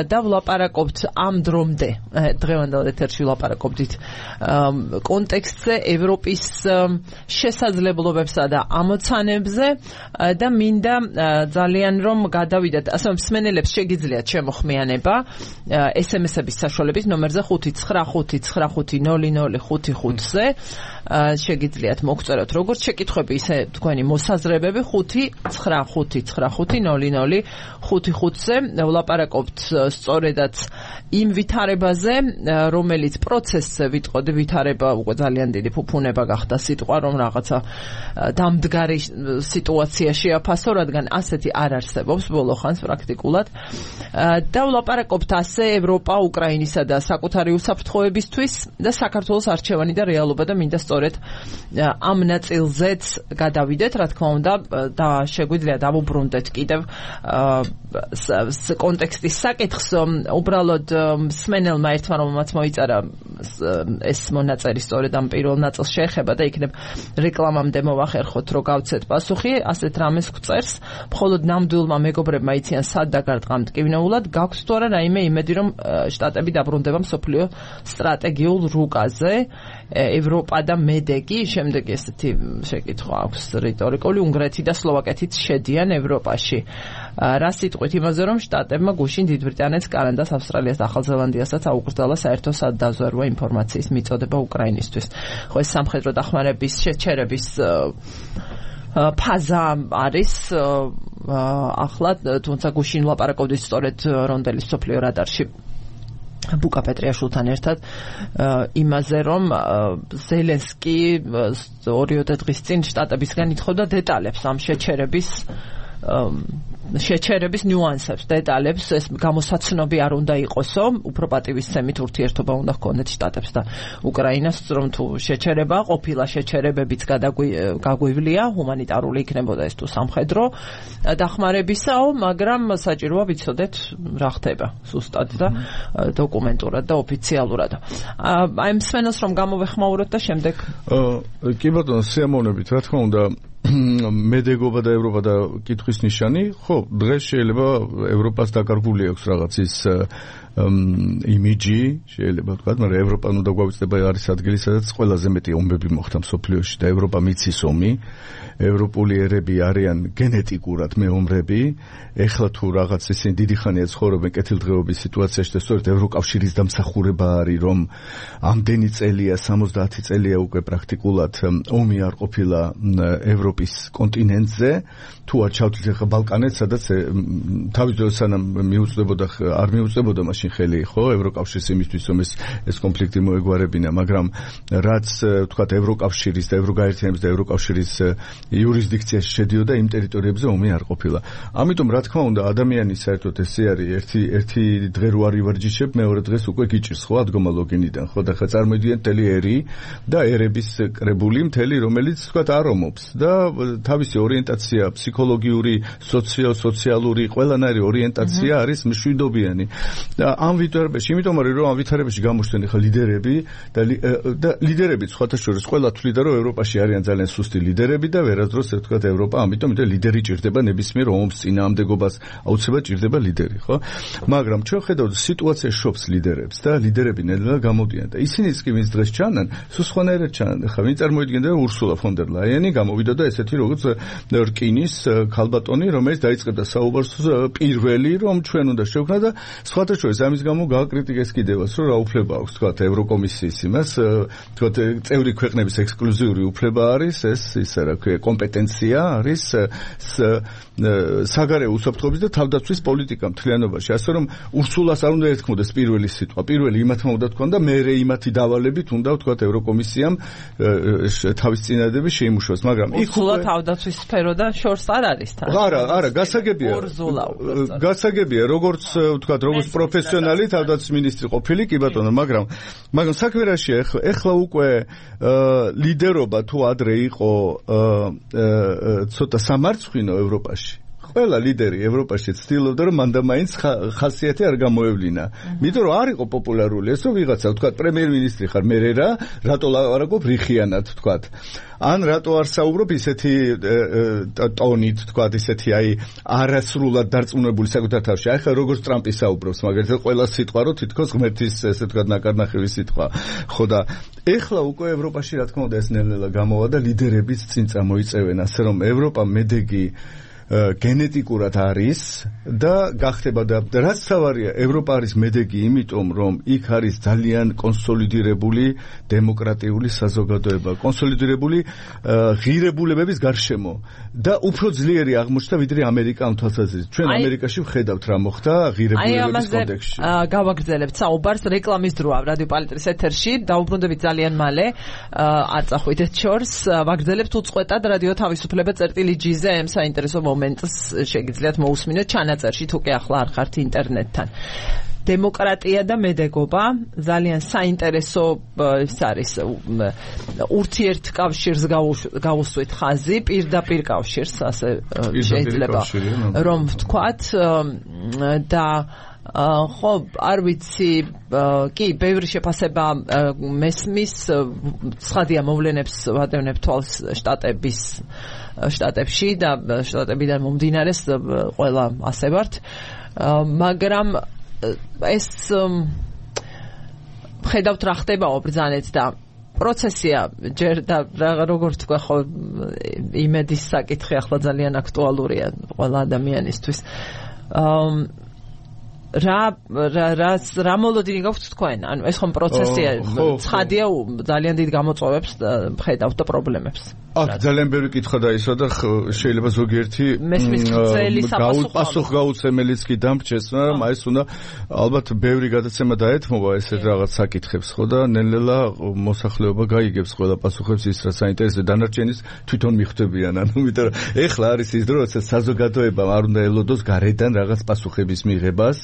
და ვლაპარაკობთ ამ დრომდე დღევანდელ ეთერში ვლაპარაკობდით კონტექსტზე ევროპის შესაძლებლობებსა და ამოცანებზე და მინდა ძალიან რომ გადავიდეთ ასე მსმენელებს შეგიძლიათ შემოხმიანება SMS-ების საშუალებით ნომერზე 595500555-ზე შეგიძლიათ მოგწეროთ როგორც შეკითხვები ისე თქვენი მოსაზრებები 595500555-ზე ვლაპარაკობთ სწორედაც იმ ვითარებაზე რომელიც პროცესზე ვიტყოდი ვითარება უკვე ძალიან დიდი ფუფუნება გახდა სიტყვა რომ რაღაცა დამდგარი სიტუაცია შეაფასო რადგან ასეთი არ არსებობს ბოლო ხანს პრაქტიკულად და ვლაპარაკობთ ასე ევროპა უკრაინისა და საკუთარი უსაფრთხოებისთვის და საქართველოს არჩევანი და რეალობა და მინდა სწორედ ამ ნაწილზეც გადავიდეთ რა თქმა უნდა და შეგვიძლია დავუბრუნდეთ კიდევ კონტექსტის საკითხს უბრალოდ მსმენელმა ერთმა რომელმაც მოიწერა ეს მონაწერი სწორედ ამ პირველ ნაწილს შეეხება და იქნებ რეკლამამდე მოვახერხოთ რომ გავცეთ პასუხი ასეთ რამეს გვწერს მხოლოდ ნამდვილმა მეგობრებმა იციან სად დაგარტყამთ კინოულად გაქვთ თუ არა რაიმე იმედი რომ შტატები დაბრუნდება მსოფლიო სტრატეგიულ რუკაზე ევროპა და მედეგი შემდეგი ესეთი შეკითხვა აქვს რიტორიკული უნგრეთი და სლოვაკეთიც შედიან ევროპაში რა სიტყვით იმაზე რომ შტატებმა გუშინ დიდ ბრიტანეთს კანადას ავსტრალიას და ახალ ზელანდიასაც აუკრძალა საერთო სადაზვერვო ინფორმაციის მიწოდება უკრაინისთვის ხო ეს სამხედრო დახმარების შეჩერების ფაზა არის ახლა თუმცა გუშინ ვლაპარაკობდით სწორედ რონდელის მსოფლიო რადარში ბუკა პეტრიაშვილთან ერთად იმაზე რომ ზელენსკი 2 დღის წინ შტატებისგან ითხოვდა დეტალებს ამ შეჩერების ნიუანსებს, დეტალებს, ეს გამოსაცნობი არ უნდა იყოსო, უფრო პატივისცემით ურთიერთობა უნდა ჰქონდეთ შტატებს და უკრაინას, რომ თუ შეჩერება ყოფილა შეჩერებებიც გაგვივლია, ჰუმანიტარული იქნებოდა ეს თუ სამხედრო დახმარებისაო, მაგრამ საჭიროა ვიცოდეთ რა ხდება სუსტად და დოკუმენტურად და ოფიციალურად. აი მსმენელს რომ გამოვეხმაუროთ და შემდეგ კი ბატონო, სიამოვნებით, რა თქმა უნდა მედეგობა და ევროპა და კითხვის ნიშანი, ხო, დღეს შეიძლება ევროპას დაკარგული აქვს რაღაც ის იმიჯი, შეიძლება ვთქვათ, მაგრამ ევროპა უნდა გვავიწყდება არის ადგილი, სადაც ყველაზე მეტი ომები მოხდა მსოფლიოში და ევროპა მიცის ომი. ევროპული ერები არიან გენეტიკურად მეომრები. ეხლა თუ რაღაც ისინი დიდი ხანია ცხოვრობენ კეთილდღეობის სიტუაციაში და სწორედ ევროკავშირის დამსახურება არის, რომ ამდენი წელია, 70 წელია უკვე პრაქტიკულად ომი არ ყოფილა ევროპის კონტინენტზე. თუ არ ჩავთვლით ახლა ბალკანეთს, სადაც თავის დროს სანამ მიუწვდებოდა, არ მიუწვდებოდა მაშინ ხელი, ხო, ევროკავშირის იმისთვის, რომ ეს კონფლიქტი მოეგვარებინა, მაგრამ რაც ვთქვათ ევროკავშირის და ევროგაერთიანების და ევროკავშირის იურისდიქციაში შედიოდა, იმ ტერიტორიებზე ომი არ ყოფილა. ამიტომ რა თქმა უნდა, ადამიანის საერთოდ ესე არის, ერთი დღე რო არ ივარჯიშებ, მეორე დღეს უკვე გიჭირს, ხო, ადგომა ლოგინიდან, ხო, და ხა წარმოიდგინეთ მთელი ერი და ერების კრებული მთელი, რომელიც ვთქვათ არ ომობს და თავისი ორიენტაცია ფსიქოლოგიური, სოციალური, ყველანაირი ორიენტაცია არის მშვიდობიანი. და ამ ვითარებაში, იმიტომ რომ ამ ვითარებაში გამოჩნდნენ ხა ლიდერები და ლიდერები სხვათა შორის ყველა თვლიდა რომ ევროპაში არიან ძალიან სუსტი ლიდერები და ვერასდროს ვთქვათ ევროპა, ამიტომ ლიდერი ჭირდება ნებისმიერ ომს წინააღმდეგობას აუცილებლად ჭირდება ლიდერი, ხო? მაგრამ ჩვენ ხედავთ სიტუაცია შობს ლიდერებს და ლიდერები ნელა გამოდიან და ისინიც კი ვინც დღეს ჩანან, სულ სხვანაირად ჩანან. ხა ვინ წარმოიდგენდა ურსულა ფონ დერ ლაიენი გამოვიდა და ესეთი როგორც რკინის ქალბატონი, რომელიც დაიწყებდა საუბარს პირველი, რომ ჩვენ უნდა შევქნა და სხვათა შორის ამის გამო გააკრიტიკეს კიდევაც, რომ რა უფლება აქვს, თქვათ, ევროკომისიის იმას, თქვათ, წევრი ქვეყნების ექსკლუზიური უფლება არის, ეს ისა რა ქვია, კომპეტენცია არის საგარეო უსაფრთხოების და თავდაცვის პოლიტიკა მთლიანობაში, ასე რომ ურსულას არ უნდა ეთქმოდეს პირველი სიტყვა, პირველი იმათმა უნდა თქვან და მერე იმათი დავალებით უნდა თქვათ ევროკომისიამ თავის წინადადების შეიმუშაოს, მაგრამ ურსულა თავდაცვის სფერო და შორს არ არის თან. არა, გასაგებია, როგორც ვთქვათ, როგორც პროფესიონალი თავდაცვის მინისტრი ყოფილი, კი ბატონო, მაგრამ საქმე რაშია, ეხლა უკვე ლიდერობა თუ ადრე იყო ცოტა სამარცხვინო ევროპაში. ყველა ლიდერი ევროპაში ცდილობდა რომ მანდა მაინც ხასიათი არ გამოევლინა. იმიტომ რომ არ იყო პოპულარული ეს რომ ვიღაცა ვთქვათ პრემიერ-მინისტრი ხარ მე რატო ლაპარაკობ რიხიანად ვთქვათ. ან რატო არ საუბრობ ისეთი ტონით ვთქვათ ისეთი აი არასრულად დარწმუნებული საკუთარ თავში. აი ხა როგორც ტრამპი საუბრობს მაგალითად ყველა სიტყვა რო თითქოს ღმერთის ესე ვთქვათ ნაკარნახევი სიტყვა. ხო და ეხლა უკვე ევროპაში რა თქმა უნდა ეს ნელ-ნელა გამოვა და ლიდერებიც წინ წამოიწევენ ასე რომ ევროპა მედეგი გენეტიკურად არის და გახდება და რაც თავარია ევროპა არის მედეგი იმიტომ რომ იქ არის ძალიან კონსოლიდირებული დემოკრატიული საზოგადოება, კონსოლიდირებული ღირებულებების გარშემო და უფრო ძლიერი აღმოჩნდა ვიდრე ამერიკა ამ თვალსაზრისით. ჩვენ ამერიკაში ვხედავთ რა მოხდა ღირებულების კონტექსტში. გავაგრძელებთ საუბარს რეკლამის დროა რადიო პალიტრის ეთერში, დაუბრუნდებით ძალიან მალე, არ წახვიდეთ შორს, ვაგრძელებთ უწყვეტად რადიო თავისუფლება წერტილი-G-ზე ამ საინტერესო მომენტს შეგიძლიათ მოусმინოთ ჩანაწერში თუ კი ახლა არ ხართ ინტერნეტთან. დემოკრატია და მედეგობა ძალიან საინტერესო ის არის ურთიერთკავშირს გავუსვით ხაზი, პირდაპირ კავშირს ასე შეიძლება რომ ვთქვათ და ხო არ ვიცი კი ბევრი შეფასება მესმის ცხადია მოვლენებს ვადევნებ თვალს შტატებში და შტატებიდან მომდინარეს ყველა ასე ვართ მაგრამ ეს ხედავთ რა ხდებაო ბრძანეთ და პროცესია ჯერ და როგორ თქვა ხო იმედის საკითხი ახლა ძალიან აქტუალურია ყველა ადამიანისთვის რა მოლოდინი გაქვთ თქვენ? ანუ ეს ხომ პროცესია ცხადია ძალიან დიდ გამოწვევებს ხედავთ და პრობლემებს. აქ ძალიან ბევრი კითხვა დაისვა და შეიძლება ზოგიერთი პასუხ გაუცემელიც კი დამრჩეს, მაგრამ აი ეს უნდა ალბათ ბევრი გადაცემა დაეთმობა ესეთ რაღაც საკითხებს, ხო და ნელ-ნელა მოსახლეობა გაიგებს ყველა პასუხებს ის რა საინტერესო დანარჩენის თვითონ მიხვდებიან. ანუ იმიტომ რომ ეხლა არის ის დრო, როცა საზოგადოებამ არ უნდა ელოდოს გარედან რაღაც პასუხების მიღებას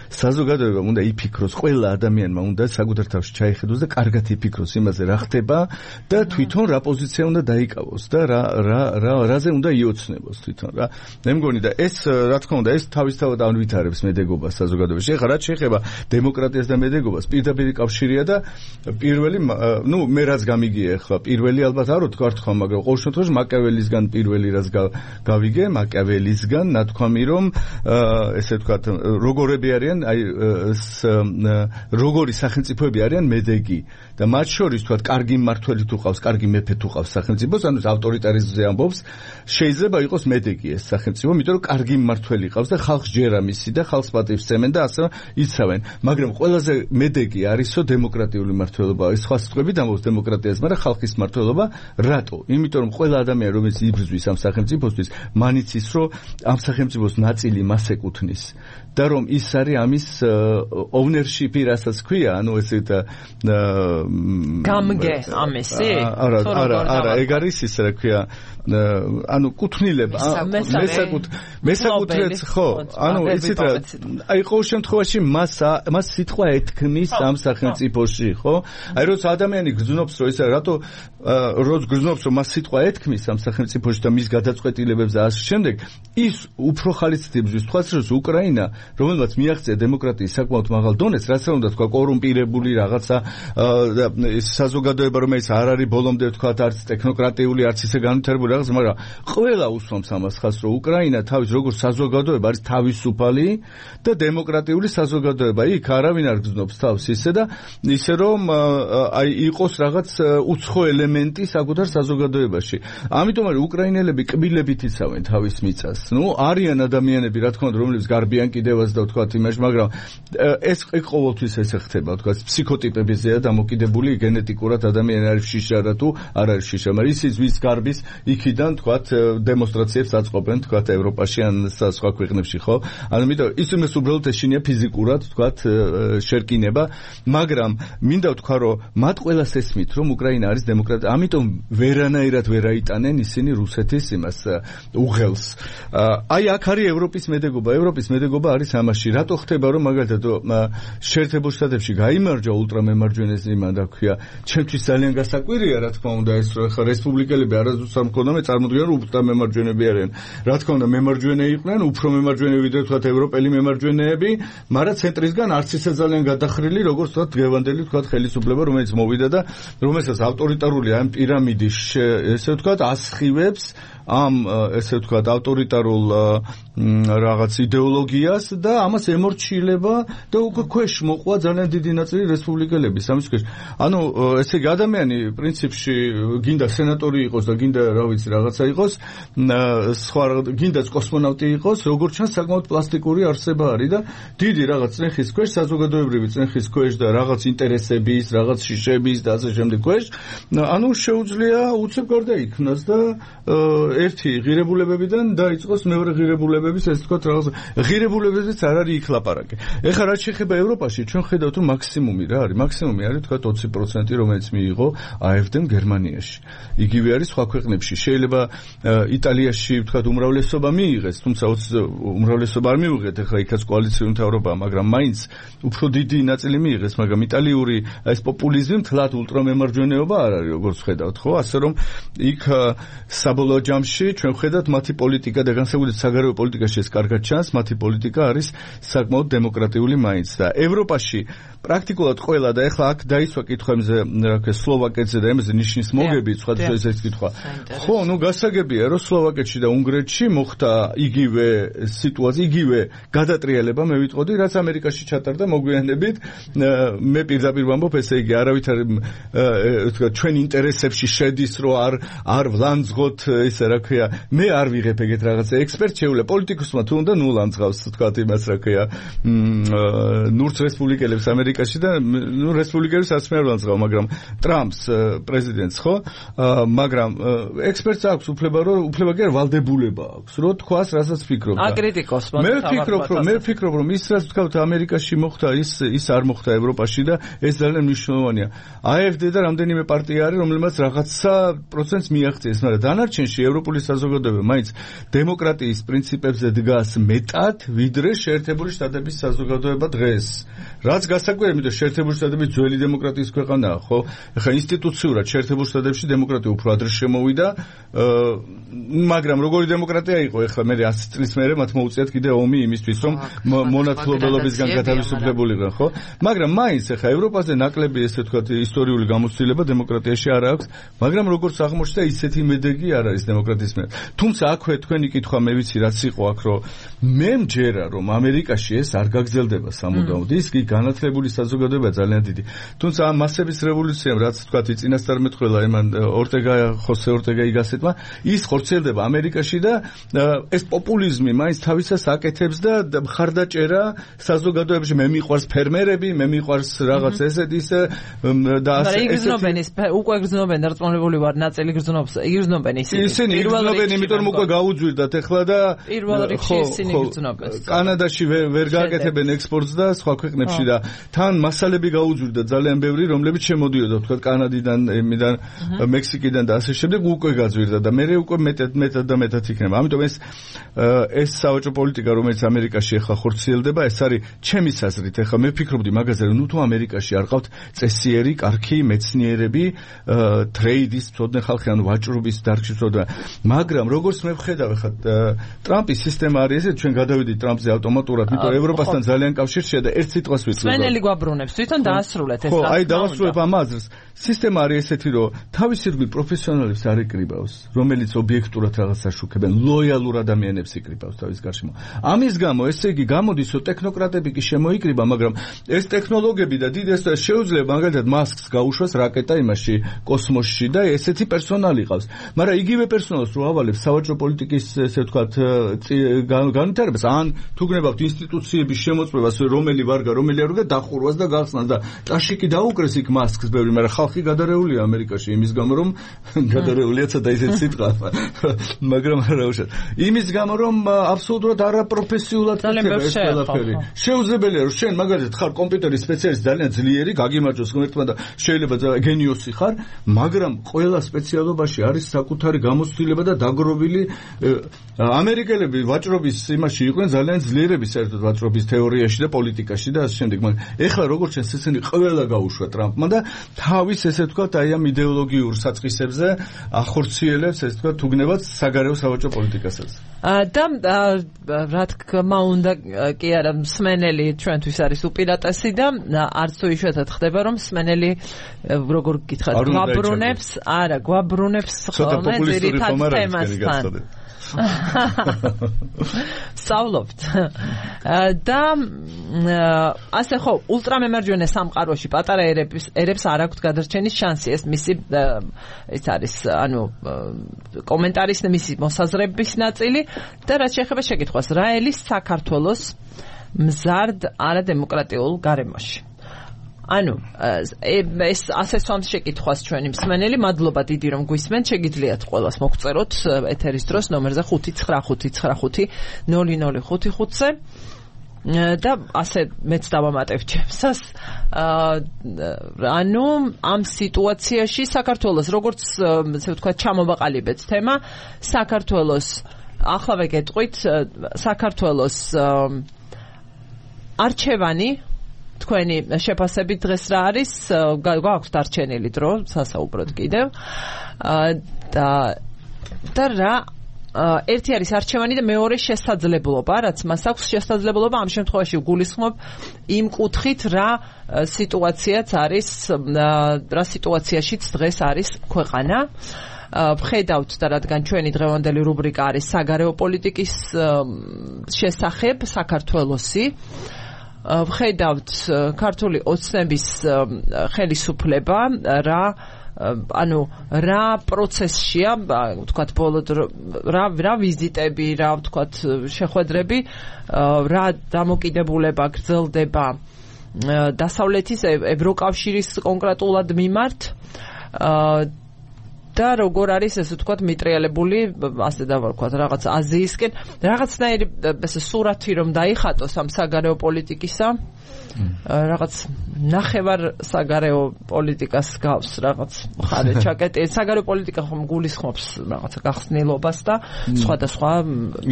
საზოგადოებამ უნდა იფიქროს, ყველა ადამიანმა უნდა საკუთარ თავში ჩაიხედოს და კარგად იფიქროს იმაზე რა ხდება და თვითონ რა პოზიცია უნდა დაიკავოს და რაზე უნდა იოცნებოს თვითონ რა. მე მგონი და ეს რა თქმა უნდა ეს თავისთავად ანვითარებს მედეგობას საზოგადოებაში. ეხლა რაც შეეხება დემოკრატიას და მედეგობას, პირდაპირ კავშირია და პირველი მე რაც გამიგია ეხლა პირველი ალბათ არ ვთქვა, მაგრამ ყოველ შემთხვევაში მაკიაველისგან პირველი რაც გავიგე, მაკიაველისგან ნათქვამი რომ ესე ვთქვათ როგორები არიან, აი როგორი სახელმწიფოები არიან მედეგი და მათ შორის ვთქვათ კარგი მმართველი თუ ყავს, კარგი მეფე თუ ყავს სახელმწიფოს, ანუ ავტორიტარიზმზე ამბობს, შეიძლება იყოს მედეგი ეს სახელმწიფო, იმიტომ რომ კარგი მმართველი ყავს და ხალხს ჯერა მისი და ხალხს პატივს სცემენ და ასე იცავენ. მაგრამ ყველაზე მედეგი არისო დემოკრატიული მმართველობა. ეს სხვა სიტყვებით ამბობს დემოკრატიას, მაგრამ ხალხის მმართველობა რატო? იმიტომ რომ ყველა ადამიანი რომელიც იბრძვის ამ სახელმწიფოსთვის, მან იცის რომ ამ სახელმწიფოს ნაწილი მას ეკუთვნის და რომ ის არის ამის ownership-ი, რასაც ქვია, ანუ ესეთ გამგე ამისი? არა, ეგ არის ის რა ქვია, ანუ კუთვნილება, მესაკუთრეც ხო, ანუ იცით რა, აი ყოველ შემთხვევაში მას სიტყვა ეთქმის ამ სახელმწიფოში, ხო? აი როცა ადამიანი გრძნობს რომ ეს რატო გრძნობს რომ მას სიტყვა ეთქმის ამ სახელმწიფოში და მის გადაწყვეტილებებს და ასე შემდეგ, ის უფრო ხალისდებს თქვას რომ უკრაინა, რომელმაც მიაღწია დემოკრატიის საკმაოდ მაღალ დონეს, რაც რა უნდა თქვა, კორუმპირებული რაღაცა საზოგადოება, რომელიც არ არის ბოლომდე თქვა არც ტექნოკრატიული, არც ისე განვითარებული რაღაც, მაგრამ ყველა უსვამს ამას ხაზს, რომ უკრაინა თავის როგორც საზოგადოება არის თავისუფალი და დემოკრატიული საზოგადოება. იქ არავინ არ გრძნობს თავს ისე და ისე რომ აი იყოს რაღაც უცხო ელემენტი საკუთარ საზოგადოებაში. ამიტომ არის უკრაინელები კბილებით იცავენ თავის მიწას. არიან ადამიანები, რა თქმა უნდა, რომლებიც გარბიან კიდევაც და ვთქვათ იმაში, მაგრამ ეს ყოველთვის ესე ხდება, ვთქვათ, ფსიქოტიპებზეა დამოკიდებული გენეტიკურად ადამიანი არის შიშარა თუ არ არის შიშარა, მაგრამ ისიც ვის გარბის იქიდან ვთქვათ დემონსტრაციებს აწყობენ ვთქვათ ევროპაში ან სხვა ქვეყნებში, ხო? ანუ იმიტომ ისმეს უბრალოდ ეშინია ფიზიკურად ვთქვათ შერკინება, მაგრამ მინდა ვთქვა რომ მათ ყველას ესმით რომ უკრაინა არის დემოკრატია, ამიტომ ვერანაირად ვერ აიტანენ ისინი რუსეთის იმას უღელს. აი აქ არის ევროპის მედეგობა. ევროპის მედეგობა არის ამაში. რატო ხდება რომ მაგალითად შეერთებულ შტატებში გაიმარჯვა ულტრამემარჯვენეს იმან და ქვია, ჩემთვის ძალიან გასაკვირია რა თქმა უნდა ეს რომ ხა რესპუბლიკელები არასდროს არ მქონდა, წარმოდგენა რომ ულტრამემარჯვენეები არიან. რა თქმა უნდა მემარჯვენე იყვნენ, უფრო მემარჯვენე ვიდრე თქვათ ევროპელი მემარჯვენეები, მაგრამ ცენტრისგან არც ისე ძალიან გადახრილი, როგორც თქვათ დღევანდელი თქვათ ხელისუფლება, რომელიც მოვიდა და რომელსაც ავტორიტარული ამ პირამიდის ესე ვთქვათ ასხივებს ამ ესე ვთქვათ ავტორიტარულ რაღაც იდეოლოგიას და ამას ემორჩილება და უკვე ქვეშ მოყვა ძალიან დიდი ნაწილი რესპუბლიკელების ამის ქვეშ. ანუ ესე იგი ადამიანი პრინციპში გინდა სენატორი იყოს და გინდა რა ვიცი რაღაცა იყოს, სხვა გინდაც კოსმონავტი იყოს, როგორც ჩანს საკმაოდ პლასტიკური არსება არის და დიდი რაღაც წნეხის ქვეშ, საზოგადოებრივი წნეხის ქვეშ და რაღაც ინტერესების, რაღაც შიშების და ასე შემდეგ ქვეშ, ანუ შეუძლია უცებ გარდაიქმნას და ერთი ღირებულებებიდან დაიწყოს მეორე ღირებულებების, ეს თქვა რაღაც ღირებულებებიც არ არის იქ ლაპარაკი. ეხლა რაც შეეხება ევროპაში, ჩვენ ხედავთ რომ მაქსიმუმი რა არის? მაქსიმუმი არის თქვა 20%, რომელიც მიიღო AfD-მ გერმანიაში. იგივე არის სხვა ქვეყნებში. შეიძლება იტალიაში თქვა უმრავლესობა მიიღეს, თუმცა უმრავლესობა არ მიიღეთ, ეხლა იქაც კოალიციური მთავრობაა, მაგრამ მაინც უფრო დიდი ნაწილი მიიღეს, მაგრამ იტალიური ეს პოპულიზმი მთლად ულტრამემარჯვენეობა არ არის, როგორც ხედავთ, ხო? ასე რომ იქ საბოლოო ჯამში ჩვენ ხედავთ მათი პოლიტიკა და განსაკუთრებით საგარეო პოლიტიკაში ეს კარგად ჩანს, მათი პოლიტიკა არის საკმაოდ დემოკრატიული მაინც და ევროპაში პრაქტიკულად ყველა და ეხლა აქ დაისვა კითხვებზე, რა ქვია, სლოვაკეთზე და ემზე ნიშნის მოგები, სხვადასხვა ეს კითხვა. ხო, გასაგებია, რომ სლოვაკეთში და უნგრეთში მოხდა იგივე სიტუაცია, იგივე გადატრიალება, მე ვიტყოდი, რაც ამერიკაში ჩატარდა მოგვიანებით. მე პირდაპირ ვამბობ, ესე იგი, არავითარ თქვა ჩვენ ინტერესებში შედის, რომ არ ვლანძღოთ, ისე რა ქვია, მე არ ვიღებ ეგეთ რაღაცა ექსპერტ შეუძლია პოლიტიკოსმა თუ უნდა ლანძღავს, თქვა იმას, რა ქვია, ნურც რესპუბლიკელებს ამერიკაში და რესპუბლიკელებს არც მე არ ვლანძღავ, მაგრამ ტრამპს პრეზიდენტს, ხო? მაგრამ ექსპერტს აქვს უფლება კი არ ვალდებულება აქვს, რომ თქვას, რასაც ფიქრობ. აკრიტიკოსმა მე ვფიქრობ, რომ ის რაც თქვა ამერიკაში მოხდა, ის არ მოხდა ევროპაში და ეს ძალიან მნიშვნელოვანია. AfD და რამდენიმე პარტია არის, რომლებმაც რაღაცა პროცენტს მიაღწიეს, მაგრამ დანარჩენში ევროპული საზოგადოება მაინც დემოკრატიის პრინციპებს ფარგლებზე დგას მეტად, ვიდრე შეერთებული შტატების საზოგადოება დღეს. რაც გასაკვირია, იმიტომ შეერთებული შტატები ძველი დემოკრატიის ქვეყანაა, ხო? ეხლა ინსტიტუციურად შეერთებულ შტატებში დემოკრატია უფრო ადრე შემოვიდა, მაგრამ როგორი დემოკრატია იყო, ეხლა მე 100 წლის მერე მათ მოუწიათ კიდე ომი იმისთვის, რომ მონათლობელობისგან გათავისუფლებულიყო, ხო? მაგრამ მაინც ეხლა ევროპაზე ნაკლები ესე ვთქვათ ისტორიული გამოცდილება დემოკრატიაში არ აქვს, მაგრამ როგორც აღმოჩნდა, ისეთი მედეგი არ არის დემოკრატიის მიერ. თუმცა აქვე თქვენი კითხვა მე ვიცი რაც იყო აქ, რომ მე მჯერა რომ ამერიკაში ეს არ გაგრძელდება სამუდამოდ, ის კი განათლებული საზოგადოება ძალიან დიდი. თუმცა ამ მასების რევოლუციამ რაც ვთქვათ წინასწარმეტყველა იმან ხოსე ორტეგა იგასეტმა, ის ხორციელდება ამერიკაში და ეს პოპულიზმი მაინც თავისას აკეთებს და მხარდაჭერა საზოგადოებაში მე მიყვარს ფერმერები, მე მიყვარს რაღაც ესეთი და ასე იგრძნობენ ის უკვე იგრძნობენ დარწმუნებული ვარ ნაწილი იგრძნობს იგრძნობენ ისინი იგრძნობენ იმიტომ რომ უკვე გაუძვირდათ ეხლა და პირველ რიგში ისინი იგრძნობენ კანადაში ვერ გააკეთებენ ექსპორტს და სხვა ქვეყნებში და თან მასალები გაუძვირდა ძალიან ბევრი რომლებიც შემოდიოდა თქვა კანადიდან მექსიკიდან და ასე შემდეგ უკვე გაძვირდა და მე უკვე მეტად იქნება ამიტომ ეს სავაჭრო პოლიტიკა რომელიც ამერიკაში ახლა ხორციელდება ეს არის ჩემი საზრით ახლა მე ვფიქრობდი მაგაზე რომ თუ ამერიკაში არ ყავთ წესიერი კარგი მეცნიერები ტრეიდის წოდნე ხალხი ან ვაჭრობის დარგში წოდნე მაგრამ როგორც მე ვხედავ ახლა ტრამპის სისტემა არის ესე ჩვენ გადავიდით ტრამპზე ავტომატურად იმიტომ ევროპასთან ძალიან კავშირშია და ერთ სიტყვას ვიტყვი სვენელი გვაბრუნებს თვითონ დაასრულეთ ეს ხო აი დავასრულებ ამ აზრს სისტემა არის ესეთი რომ თავის ირგვლივ პროფესიონალებს არ იკრიბავს რომელიც ობიექტურად რაღაცას შუქებენ ლოიალურ ადამიანებს იკრიბავს თავის გარშემო ამის გამო ესე იგი გამოდის რომ ტექნოკრატები კი შემოიკრიბა მაგრამ ეს ტექნოლოგიები და დიდ ეს შეუძლია მაგალითად მასკს გაუშვას რაკეტა იმაში კოსმოსში და ესეთი პერსონალი ყავს მაგრამ იგივე პერსონალს რო ავალებს სავაჭრო პოლიტიკის ესე ვთქვათ განვითარებას ან თუ გნებავთ ინსტიტუციების შემოწმებას რომელი ვარგა რომელი არ ვარგა დახურვას და გახსნას და ტაშიკი დაუკრეს იქ მასკს ბევრი მაგრამ ხალხი გადარეულია ამერიკაში იმის გამო რომ გადარეულია ცოტა ისეთი სიტყვა მაგრამ არა უშად იმის გამო რომ აბსოლუტურად არაპროფესიულად ხდება ეს ყველაფერი შეუძლებელია რომ შენ მაგალითად ხარ კომპიუტერის სპეციალისტი ძალიან ძლიერი გაგიმარჯოს ღმერთმა და შეიძლება გენიოსი ხარ მაგრამ ყველა სპეციალობაში არის საკუთარი გამოცდილება და დაგროვილი ამერიკელები ვაჭრობის იმაში იყვნენ ძალიან ძლიერები საერთოდ ვაჭრობის თეორიაში და პოლიტიკაში და ასე შემდეგ მაგრამ ეხლა როგორც შენ ესენი ყველა გაუშვა ტრამპმა და თავის ესე ვთქვათ აი ამ იდეოლოგიურ საწყისებზე ახორციელებს ესე ვთქვათ თუგნებად საგარეო სავაჭრო პოლიტიკასაც და რა თქმა უნდა კი არა მსმენელი ჩვენთვის არის უპირატესი და არც თუ იშვიათად ხდება რომ მსმენელი როგორ გითხრათ გვაბრუნებს არა გვაბრუნებს ხოლმე ძირითად თემასთან სწავლობთ და ასე ხო ულტრამემარჯვენე სამყაროში პატარა ერებს არ აქვთ გადარჩენის შანსი ეს მისი ეს არის ანუ კომენტარის მისი მოსაზრების ნაწილი და რაც შეეხება შეკითხვას რა ელის საქართველოს მზარდ არადემოკრატიულ გარემოში ანუ ეს ასე სვამს შეკითხვას ჩვენი მსმენელი მადლობა დიდი რომ გვისმენთ შეგიძლიათ ყველას მოგწეროთ ეთერის დროს ნომერზე 5955005-ზე და ასე მეც დავამატებ ჩემსას ანუ ამ სიტუაციაში საქართველოს როგორც ესე ვთქვათ ჩამოვაყალიბეთ თემა საქართველოს ახლავე გეტყვით საქართველოს არჩევანი თქვენი შეფასებით დღეს რა არის გვაქვს დარჩენილი დრო სასაუბროდ კიდევ და რა ერთი არის არჩევანი და მეორე შესაძლებლობა რაც მას აქვს შესაძლებლობა ამ შემთხვევაში გულისხმობ იმ კუთხით რა სიტუაციაც არის რა სიტუაციაშიც დღეს არის ქვეყანა ვხედავთ და რადგან ჩვენი დღევანდელი რუბრიკა არის საგარეო პოლიტიკის შესახებ საქართველოსი ვხედავთ ქართული ოცნების ხელისუფლება რა ანუ რა პროცესშია ვთქვათ ბოლო რა ვიზიტები რა ვთქვათ შეხვედრები რა დამოკიდებულება გრძელდება დასავლეთის ევროკავშირის კონკრეტულად მიმართ და როგორ არის ესე ვთქვათ მიტრიალებული ასე დავარქვათ რაღაც აზიისკენ რაღაცნაირი ესე სურათი რომ დაიხატოს ამ საგარეო პოლიტიკისა რაღაც ნახევარ საგარეო პოლიტიკას გავს რაღაც ხარე ჩაკეტი საგარეო პოლიტიკა ხომ გულისხმობს რაღაცა გახსნილობას და სხვადასხვა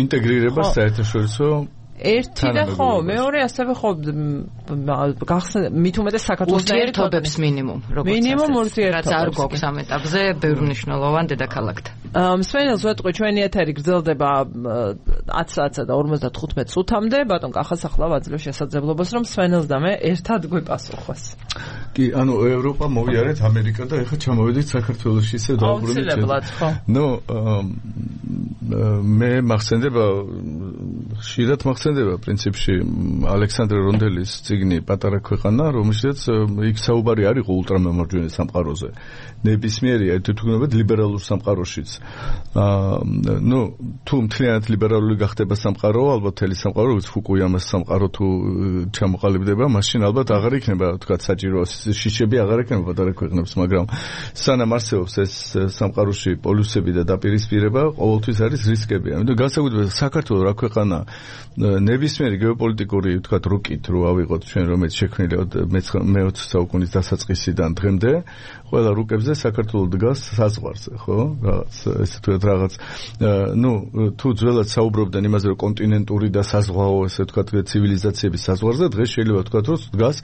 ინტეგრირებას საერთაშორისო ერთი და ხო მეორე ასევე ხო მით უმეტეს საქართველოს ერთობებს მინიმუმ მინიმუმ ურთიერთობებს რაც არ გვაქვს ამ ეტაპზე ბევრ მნიშვნელოვან დედაქალაქთან მსმენელს ვეტყვი ჩვენი ეთერი გრძელდება 10 საათსა და 55 წუთამდე ბატონ კახას ახლა ვაძლევ შესაძლებლობას რომ მსმენელს და მე ერთად გვიპასუხოს კი ანუ ევროპა მოვიარეთ ამერიკა და ეხლა ჩამოვედით საქართველოში ისე დაუბრუნდით ნუ მე მახსენდება ხშირად მახსენდება პრინციპში ალექსანდრე რონდელის წიგნი პატარა ქვეყანა რომელშიც იქ საუბარი არ იყო ულტრამემარჯვენე სამყაროზე ნებისმიერი თვითმფრინავად ლიბერალურ სამყაროშიც ნუ თუ მთლიანად ლიბერალური გახდება სამყარო ალბათ თელი სამყარო როგორც ფუკუიამას სამყარო თუ ჩამოყალიბდება მაშინ ალბათ აღარ იქნება თქვა საჭირო შიშები აღარ იქნება პატარა ქვეყნებს მაგრამ სანამ არსებობს ეს სამყაროში პოლუსები და დაპირისპირება ყოველთვის არის რისკები ამიტომ განსაკუთრებით საქართველოს რა ქვეყანა ნებისმიერი გეოპოლიტიკური თქვა რუკით რო ავიღოთ ჩვენ რომელიც შექმნილი მე-20 საუკუნის დასაწყისიდან დღემდე ყველა რუკებზე საქართველოს დგას საზღვარზე ხო რაღაც ესე თქვა რაღაც ნუ თუ ძველად საუბრობდნენ იმაზე რომ კონტინენტური და საზღვაო ესე თქვა ცივილიზაციების საზღვარზე დღეს შეიძლება თქვა რომ დგას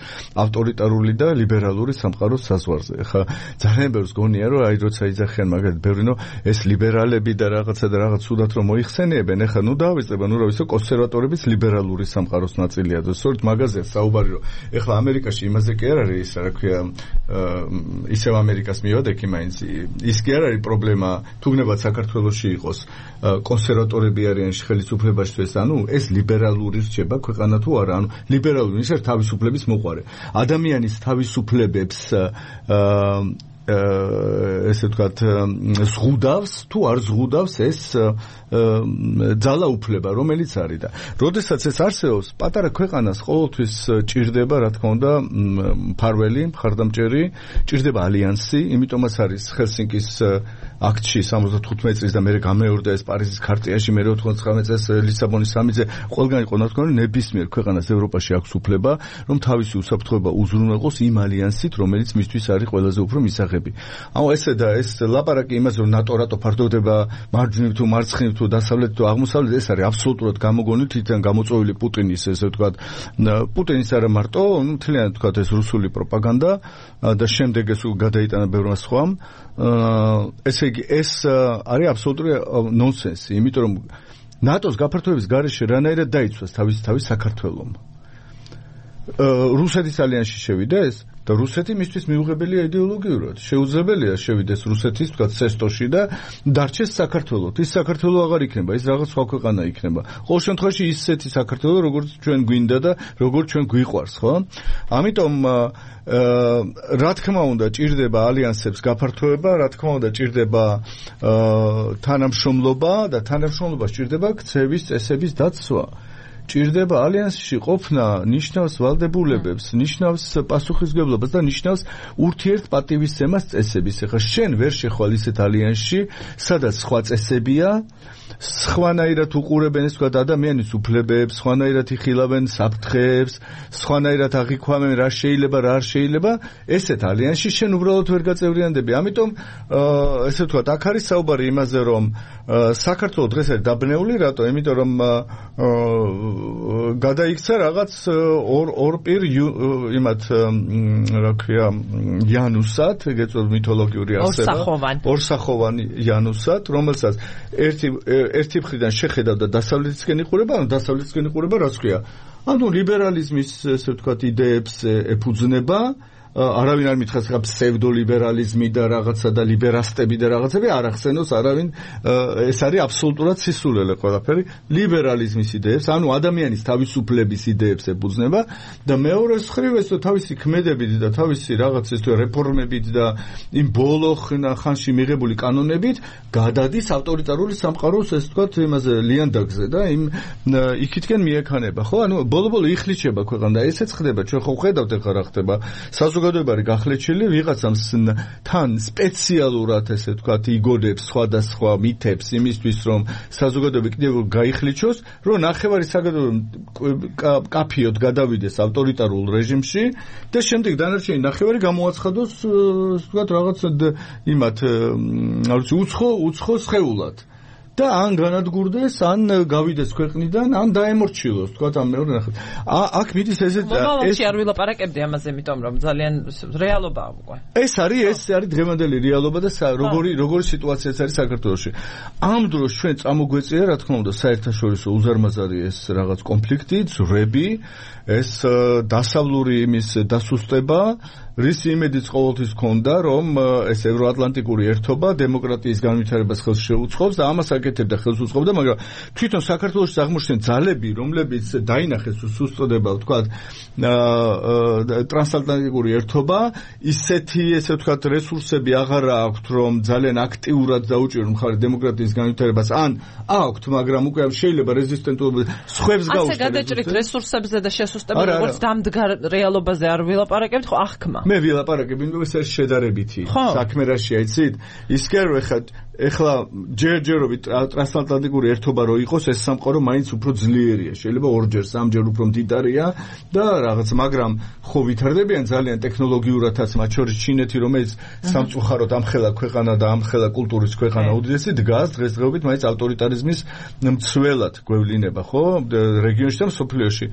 ავტორიტარული და ლიბერალური სამყაროს საზღვარზე ხა ძალიან ბევრს გონია რომ აი როცა იძახიან მაგალითად ბევრინო ეს ლიბერალები და რაღაცა და რაღაც სუდათ რომ მოიხსენიებენ ეხლა ნუ დავიწყება ნუ რა ვიცი კონსერვატორების ლიბერალური სამყაროს ნაწილია და სწორედ მაგაზია საუბარი რომ ეხლა ამერიკაში იმაზე კი არ არის ის რა ქვია ისევ ამერიკას მივადექი მაინც ის კი არ არის პრობლემა თუნდაც საქართველოში იყოს კონსერვატორები არიან ხელისუფლებაში ეს ანუ ეს ლიბერალური რჩება ქვეყანა თუ არა ანუ ლიბერალური ის არის თავისუფლების მოყვარე ადამიანის თავისუფლებებს ესე ვთქვათ ზღუდავს თუ არ ზღუდავს ეს ძალაუფლება რომელიც არის და როდესაც ეს არსებობს პატარა ქვეყანას ყოველთვის ჭირდება რა თქმა უნდა მფარველი მხარდამჭერი ჭირდება ალიანსი იმიტომაც არის ჰელსინკის აქტში 75 წლის და მე გამეორდა ეს პარიზის ქარტიაში მე 99 წელს ლისაბონის სამიზე ყველგან იყო თქო ნებისმიერ ქვეყანას ევროპაში აქვს უფლება რომ თავისი უსაფრთხოება უზრუნველყოს იმ ალიანსით რომელიც მისთვის არის ყველაზე უფრო მისაღები ანუ ესე და ეს ლაპარაკი იმაზე რომ ნატო რატო ფარდოვდება მარჯვნივ თუ მარცხნივ თუ დასავლეთ თუ აღმოსავლეთ ეს არის აბსოლუტურად გამოგონილი თვითონ გამოწვეული პუტინის ესე ვთქვათ პუტინის არა მარტო მთლიანად ვთქვათ ეს რუსული პროპაგანდა და შემდეგ ეს გადაიტანა ბევრმა სხვამ ესე იგი ეს არის აბსოლუტური ნონსენსი იმიტომ რომ ნატოს გაფართოების გარეშე რანაირად დაიცვას თავის საქართველოს რუსეთის ალიანსში შევიდეს და რუსეთი მისთვის მიუღებელია იდეოლოგიურად შეუძლებელია შევიდეს რუსეთის ვთქვათ სესტოში და დარჩეს საქართველოს ის საქართველოს აღარ იქნება ის რაღაც სხვა ქვეყანა იქნება ყოველ შემთხვევაში ისეთი საქართველოს როგორც ჩვენ გვინდა და როგორც ჩვენ გვიყვარს ხო ამიტომ რა თქმა უნდა ჭირდება ალიანსებს გაფართოება რა თქმა უნდა ჭირდება თანამშრომლობა და თანამშრომლობას ჭირდება ქცევის წესების დაცვა ჭირდება ალიანსში ყოფნა ნიშნავს ვალდებულებებს, ნიშნავს პასუხისმგებლობას და ნიშნავს ურთიერთპატივისცემას წესების. ეხლა შენ ვერ შეხვალ ისეთ ალიანსში, სადაც სხვა წესებია, სხვანაირად უყურებენ ეს ვთქვათ ადამიანის უფლებებს, სხვანაირად იხილავენ საფრთხეებს, სხვანაირად აღიქვამენ რა შეიძლება, რა არ შეიძლება, ესეთ ალიანსში შენ უბრალოდ ვერ გაწევრიანდები. ამიტომ ესე ვთქვათ, აქ არის საუბარი იმაზე, რომ საქართველოს დღეს არის დაბნეული, რატო? იმიტომ რომ გადაიქცა რაღაც ორ პირ იმათ რა ქვია იანუსად, ეგეწოდ მითოლოგიური არსება, ორსახოვანი იანუსად, რომელსაც ერთი მხრიდან შეხედავდა დასავლეთისკენ იყურება, ანუ დასავლეთისკენ იყურება რაც ქვია. ანუ ლიბერალიზმის ესე ვთქვათ იდეებს ეფუძნება არავინ არ მითხრას ხა ფსევდოლიბერალიზმი და რაღაცა და ლიბერასტები და რაღაცები არ ახსენოს არავინ ეს არის აბსოლუტურად სისულელე ყველაფერი ლიბერალიზმის იდეებს ანუ ადამიანის თავისუფლების იდეებს ეფუძნება და მეორე მხრივ ეს თავისი ქმედებით და თავისი რაღაც ეს რეფორმებით და იმ ბოლო ხანში მიღებული კანონებით გადადის ავტორიტარული სამყაროს ეს ვთქვათ იმაზე ლიანდაგზე და იმ იქითკენ მიექანება ხო ანუ ბოლო-ბოლო იხლიჩება ქვეყანა და ესეც ხდება ჩვენ ხო ხედავთ ახლა რა ხდება საზოგადოება არის გახლეჩილი, ვიღაცამს თან სპეციალურად ესე ვთქვათ იგონებს სხვადასხვა მითებს იმისთვის რომ საზოგადოება კიდევ გაიხლიჩოს, რომ ნახევარი საზოგადოება კაფიოდ გადავიდეს ავტორიტარულ რეჟიმში და შემდეგ დანარჩენი ნახევარი გამოაცხადოს ვთქვათ რაღაც იმათ უცხო სხეულად. და ან განადგურდეს, ან გავიდეს ქვეყნიდან, ან დაემორჩილოს, თქვა ამ მეორე ნახევარს. აქ მიდის ესეც ეს არ ვილაპარაკებდი ამაზე, იმიტომ რომ ძალიან რეალობაა უკვე. ეს არის დღევანდელი რეალობა და როგორი სიტუაციაც არის საქართველოში. ამ დროს ჩვენ წამოგვეწია, რა თქმა უნდა, საერთაშორისო უზარმაზარი ეს რაღაც კონფლიქტი, ძვრები, ეს დასავლური იმის დასუსტება, რის იმედიც ყოველთვის ჰქონდა, რომ ეს ევროატლანტიკური ერთობა დემოკრატიის განვითარებას ხელს შეუწყობს და ამას აკეთებდა, ხელს უწყობდა, მაგრამ თვითონ საქართველოში აღმოჩნდნენ ძალები, რომლებიც დაინახეს სუსტდება, ვთქვათ, ტრანსატლანტიკური ერთობა, ისეთი, ესე ვთქვათ, რესურსები აღარ აქვთ, რომ ძალიან აქტიურად დაუჭირონ მხარი დემოკრატიის განვითარებას, ან აქვთ, მაგრამ უკვე შეიძლება რეზისტენტობა სხვებს გაუშვათ. ასე გადაჭრით რესურსებზე და შესუსტებით, როგორც დამდგარ რეალობაზე არ ვილაპარაკებთ, ხო ახქმა. მე ვილაპარაკებ, იმიტომ ეს შედარებითი საქმე რაშია, იცით? ის კი არ ეხლა ჯერჯერობით ტრანსატლანტიკური ერთობა რო იყოს, ეს სამყარო მაინც უფრო ძლიერია. შეიძლება ორჯერ, სამჯერ უფრო მდიდარია და რაღაც, მაგრამ ხო ვითარდებიან ძალიან ტექნოლოგიურადაც, მათ შორის ჩინეთი, რომელიც სამწუხაროდ ამხელა ქვეყანა და ამხელა კულტურის ქვეყანა უდიდესი დგას დღესდღეობით მაინც ავტორიტარიზმის მცველად გვევლინება, ხო? რეგიონში და მსოფლიოში.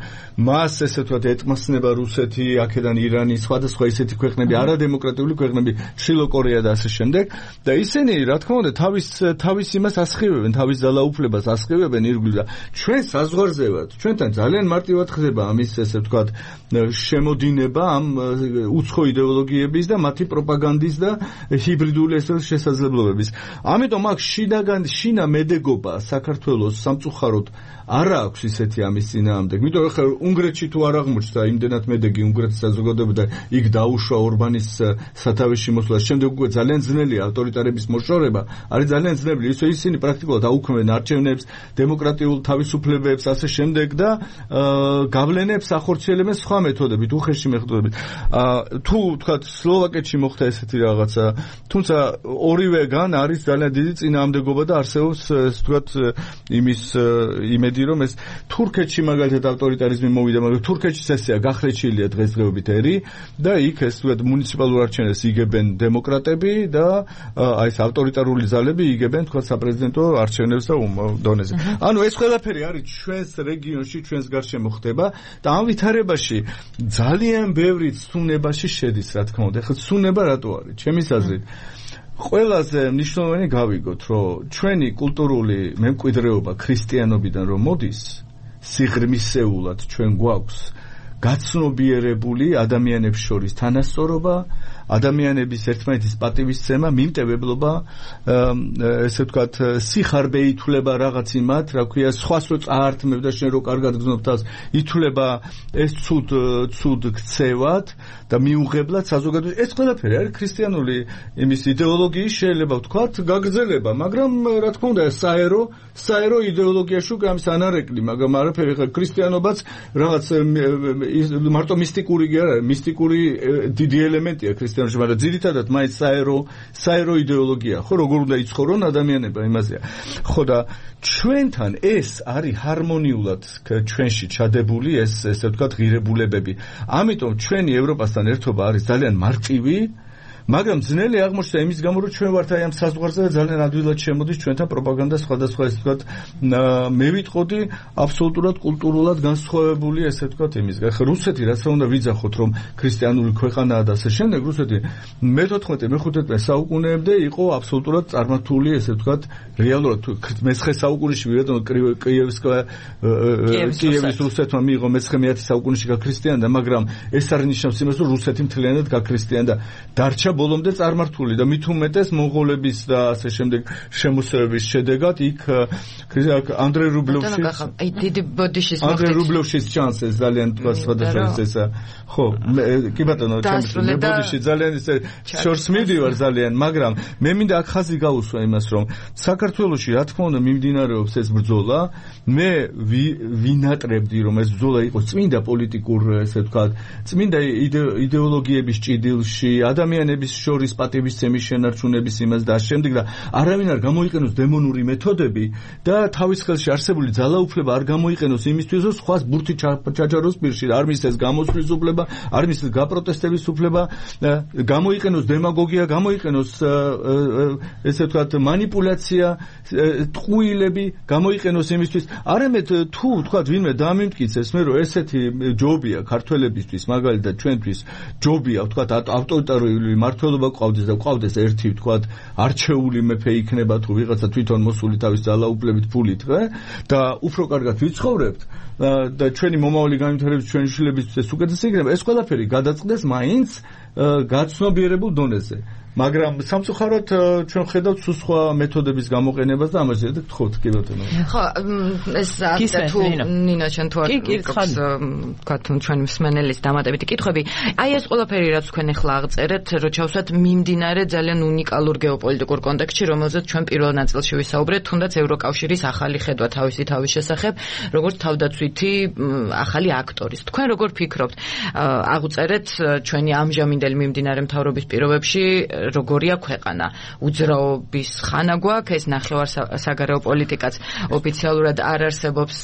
მას ესე ვთქვათ ეტმასნება რუსეთი, აქედან ირანი, სხვადასხვა ისეთი ქვეყნები, არადემოკრატიული ქვეყნები, შილო კორეა და ასე შემდეგ. და ისინი, რა თქმა უნდა, თავის იმას ასხივებენ, თავის ძალაუფლებას ასხივებენ ირგვლივ და ჩვენ საზღვარზე ვართ. ჩვენთან ძალიან მარტივად ხდება ამის ესე ვთქვათ შემოდინება ამ უცხო იდეოლოგიების და მათი პროპაგანდის და ჰიბრიდული შესაძლებლობების. ამიტომ აქ შინა მედეგობა საქართველოს სამწუხაროდ არ აქვს ისეთი ამის წინააღმდეგ. იმიტომ რომ ხა უნგრეთში თუ არ აღმოჩნდა იმდენად მედეგი უნგრეთის საზოგადოება და იქ დაუშვა ორბანის სათავეში მოსვლა, შემდეგ უკვე ძალიან ძნელია ავტორიტარების მოშორება, არის ძალიან ძნელი. ისინი პრაქტიკულად აუქმებენ არჩევნებს, დემოკრატიულ თავისუფლებებს, ასე შემდეგ და გავლენებს ახორციელებენ სხვა მეთოდებით, უხეში მეთოდებით. თუ თქვათ სლოვაკეთში მოხდა ესეთი რაღაცა, თუმცა ორივეგან არის ძალიან დიდი წინააღმდეგობა და არსებობს თქვათ იმის იმედი რომ ეს თურქეთში მაგალითად ავტორიტარიზმი მოვიდა, მაგრამ თურქეთში ესეა გახლეჩილია დღესდღეობით ერი და იქ ეს თქვათ მუნიციპალურ არჩევნებს იგებენ დემოკრატები და აი ეს ავტორიტარული ძალები იგებენ თქვათ საპრეზიდენტო არჩევნებს და დონეზე. ანუ ეს ყველაფერი არის ჩვენს რეგიონში, ჩვენს გარშემო ხდება და ამ ვითარებაში ძალიან ბევრი ცნებაში შედის, რა თქმა უნდა. ეხლა ცნება რატო არის? ჩემის აზრით ყველაზე მნიშვნელოვანი გავიგოთ, რომ ჩვენი კულტურული მემკვიდრეობა ქრისტიანობიდან რომ მოდის, სიღრმისეულად ჩვენ გვაქვს გაცნობიერებული ადამიანებს შორის თანასწორობა, ადამიანების ერთმანეთის პატივისცემა, მიმტევებლობა, ესე ვთქვათ, სიხარბე ითვლება რაღაც იმათ, რა ქვია, სხვას რო წაართმევ და შენ რო კარგად გძნობ თავს, ითვლება ეს ცუდ ქცევად და მიუღებლად საზოგადოებაში. ეს ყველაფერი არის ქრისტიანული იმის იდეოლოგიის შეიძლება ვთქვათ გაგრძელება, მაგრამ რა თქმა უნდა საერო იდეოლოგიაში უკვე ამის ანარეკლი, მაგრამ არაფერი ხა ქრისტიანობაც რაღაც მარტო მისტიკური კი არა, მისტიკური დიდი ელემენტია ქრისტიანობაში, მაგრამ ძირითადად მაინც საერო იდეოლოგია, ხო, როგორ უნდა იცხოვრონ ადამიანება, იმაზეა. ხო და ჩვენთან ეს არის ჰარმონიულად ჩვენში ჩადებული ესე ვთქვათ ღირებულებები. ამიტომ ჩვენი ევროპასთან ერთობა არის ძალიან მარტივი, მაგრამ ძნელი აღმოჩნდა იმის გამო, რომ ჩვენ ვართ აი ამ საზღვარზე და ძალიან ადვილად შემოდის ჩვენთან პროპაგანდა სხვადასხვა ესე ვთქვათ, მე ვიტყოდი აბსოლუტურად კულტურულად განსხვავებული ესე ვთქვათ იმის. ხა რუსეთი რაც რა უნდა ვიძახოთ, რომ ქრისტიანული ქვეყანაა და ასე შემდეგ, რუსეთი მე-15 საუკუნეებამდე იყო აბსოლუტურად წარმართული ესე ვთქვათ, რეალურად მე-9 საუკუნეში ვიღებდნენ კიევის რუსეთმა მიიღო მე-9 საუკუნეში გაქრისტიანდა, მაგრამ ეს არ ნიშნავს იმას, რომ რუსეთი მთლიანად გაქრისტიანდა. დარჩა ბოლომდე წარმართული და მით უმეტეს მონღოლების და ასე შემდეგ შემოსევების შედეგად იქ ანდრეი რუბლევშის ჩანს ეს ძალიან თქვა სხვადასხვა ესა ხო კი ბატონო ჩემს ბოდიში ძალიან ეს შორს მივდივარ ძალიან მაგრამ მე მინდა აქ ხაზი გაუსვა იმას რომ საქართველოში რა თქმა უნდა მიმდინარეობს ეს ბრძოლა მე ვინატრებდი რომ ეს ბრძოლა იყოს წმინდა პოლიტიკურ ესე ვთქვათ წმინდა იდეოლოგიების ჭიდილში ადამიანების შორის პატივისცემის შენარჩუნების იმას და შემდეგ და არავინ არ გამოიყენოს დემონური მეთოდები და თავის ხელში არსებული ძალაუფლება არ გამოიყენოს იმისთვის რომ სხვას ბურთი ჩაჯაროს პირში არ მისცეს გამოსვლის უფლება არ მისცეს გაპროტესტების უფლება გამოიყენოს დემაგოგია გამოიყენოს ესე ვთქვათ манипуляция ტყუილები გამოიყენოს იმისთვის არამედ თუ ვთქვათ ვინმე დამიმტკიცეს მე რომ ესეთი ჯობია ქართველებისთვის მაგალითად ჩვენთვის ჯობია ვთქვათ ავტორიტარული მმართველობა გვყავდეს და გვყავდეს ერთი ვთქვათ არჩეული მეფე იქნება თუ ვიღაცა თვითონ მოსული თავის ძალაუფლებით ფულით და უფრო კარგად ვიცხოვრებთ და ჩვენი მომავალი განვითარების ჩვენი შვილებისთვის უკეთესი იქნება ეს ყველაფერი გადაწყდეს მაინც გაცნობიერებულ დონეზე მაგრამ სამწუხაროდ ჩვენ ხედავთ სხვა მეთოდების გამოყენებას და ამაზე გთხოვთ კი ბატონო ხო ეს თუ ნინა ჩვენ თუ არ ჩვენ მსმენელის დამატებითი კითხვები აი ეს ყველაფერი რაც თქვენ ახლა აღწერეთ რო ჩავსვათ მიმდინარე ძალიან უნიკალურ გეოპოლიტიკურ კონტექსტში რომელზეც ჩვენ პირველ ნაწილში ვისაუბრეთ თუნდაც ევროკავშირის ახალი ხედვა თავის შესახებ როგორც თავდაცვითი ახალი აქტორის თქვენ როგორ ფიქრობთ აღწერეთ ჩვენი ამჟამინდელი მიმდინარე მთავრობის პირობებში როგორია ქვეყანა უძრაობის ხანა გვაქვს ეს ნახევარსაგარეო პოლიტიკაც ოფიციალურად არ არსებობს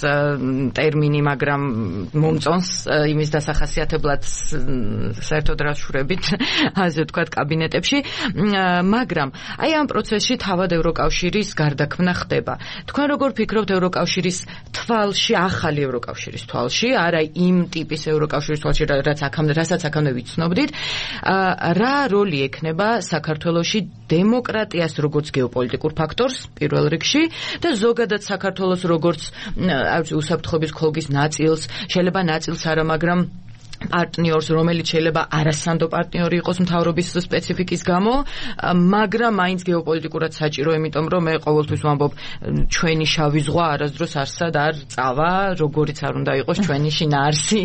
ტერმინი მაგრამ მომწონს იმის დასახასიათებლად საერთოდ რაშურებით ასე ვთქვათ კაბინეტებში მაგრამ აი ამ პროცესში თავად ევროკავშირის გარდაქმნა ხდება თქვენ როგორ ფიქრობთ ევროკავშირის თვალში ახალი ევროკავშირის თვალში არა იმ ტიპის ევროკავშირის თვალში რასაც აქამდე ვიცნობდით რა როლი ექნება საქართველოში დემოკრატიას როგორც გეოპოლიტიკურ ფაქტორს პირველ რიგში და ზოგადად საქართველოს როგორც უსაფრთხოების ხოლგის ნაწილს შეიძლება ნაწილს არა მაგრამ პარტნიორს რომელიც შეიძლება არასანდო პარტნიორი იყოს მთავრობის სპეციფიკის გამო მაგრამ მაინც გეოპოლიტიკურად საჭირო იმიტომ რომ მე ყოველთვის ვამბობ ჩვენი შავი ზღვა არასდროს არსად არ წავა როგორიც არ უნდა იყოს ჩვენი შინაარსი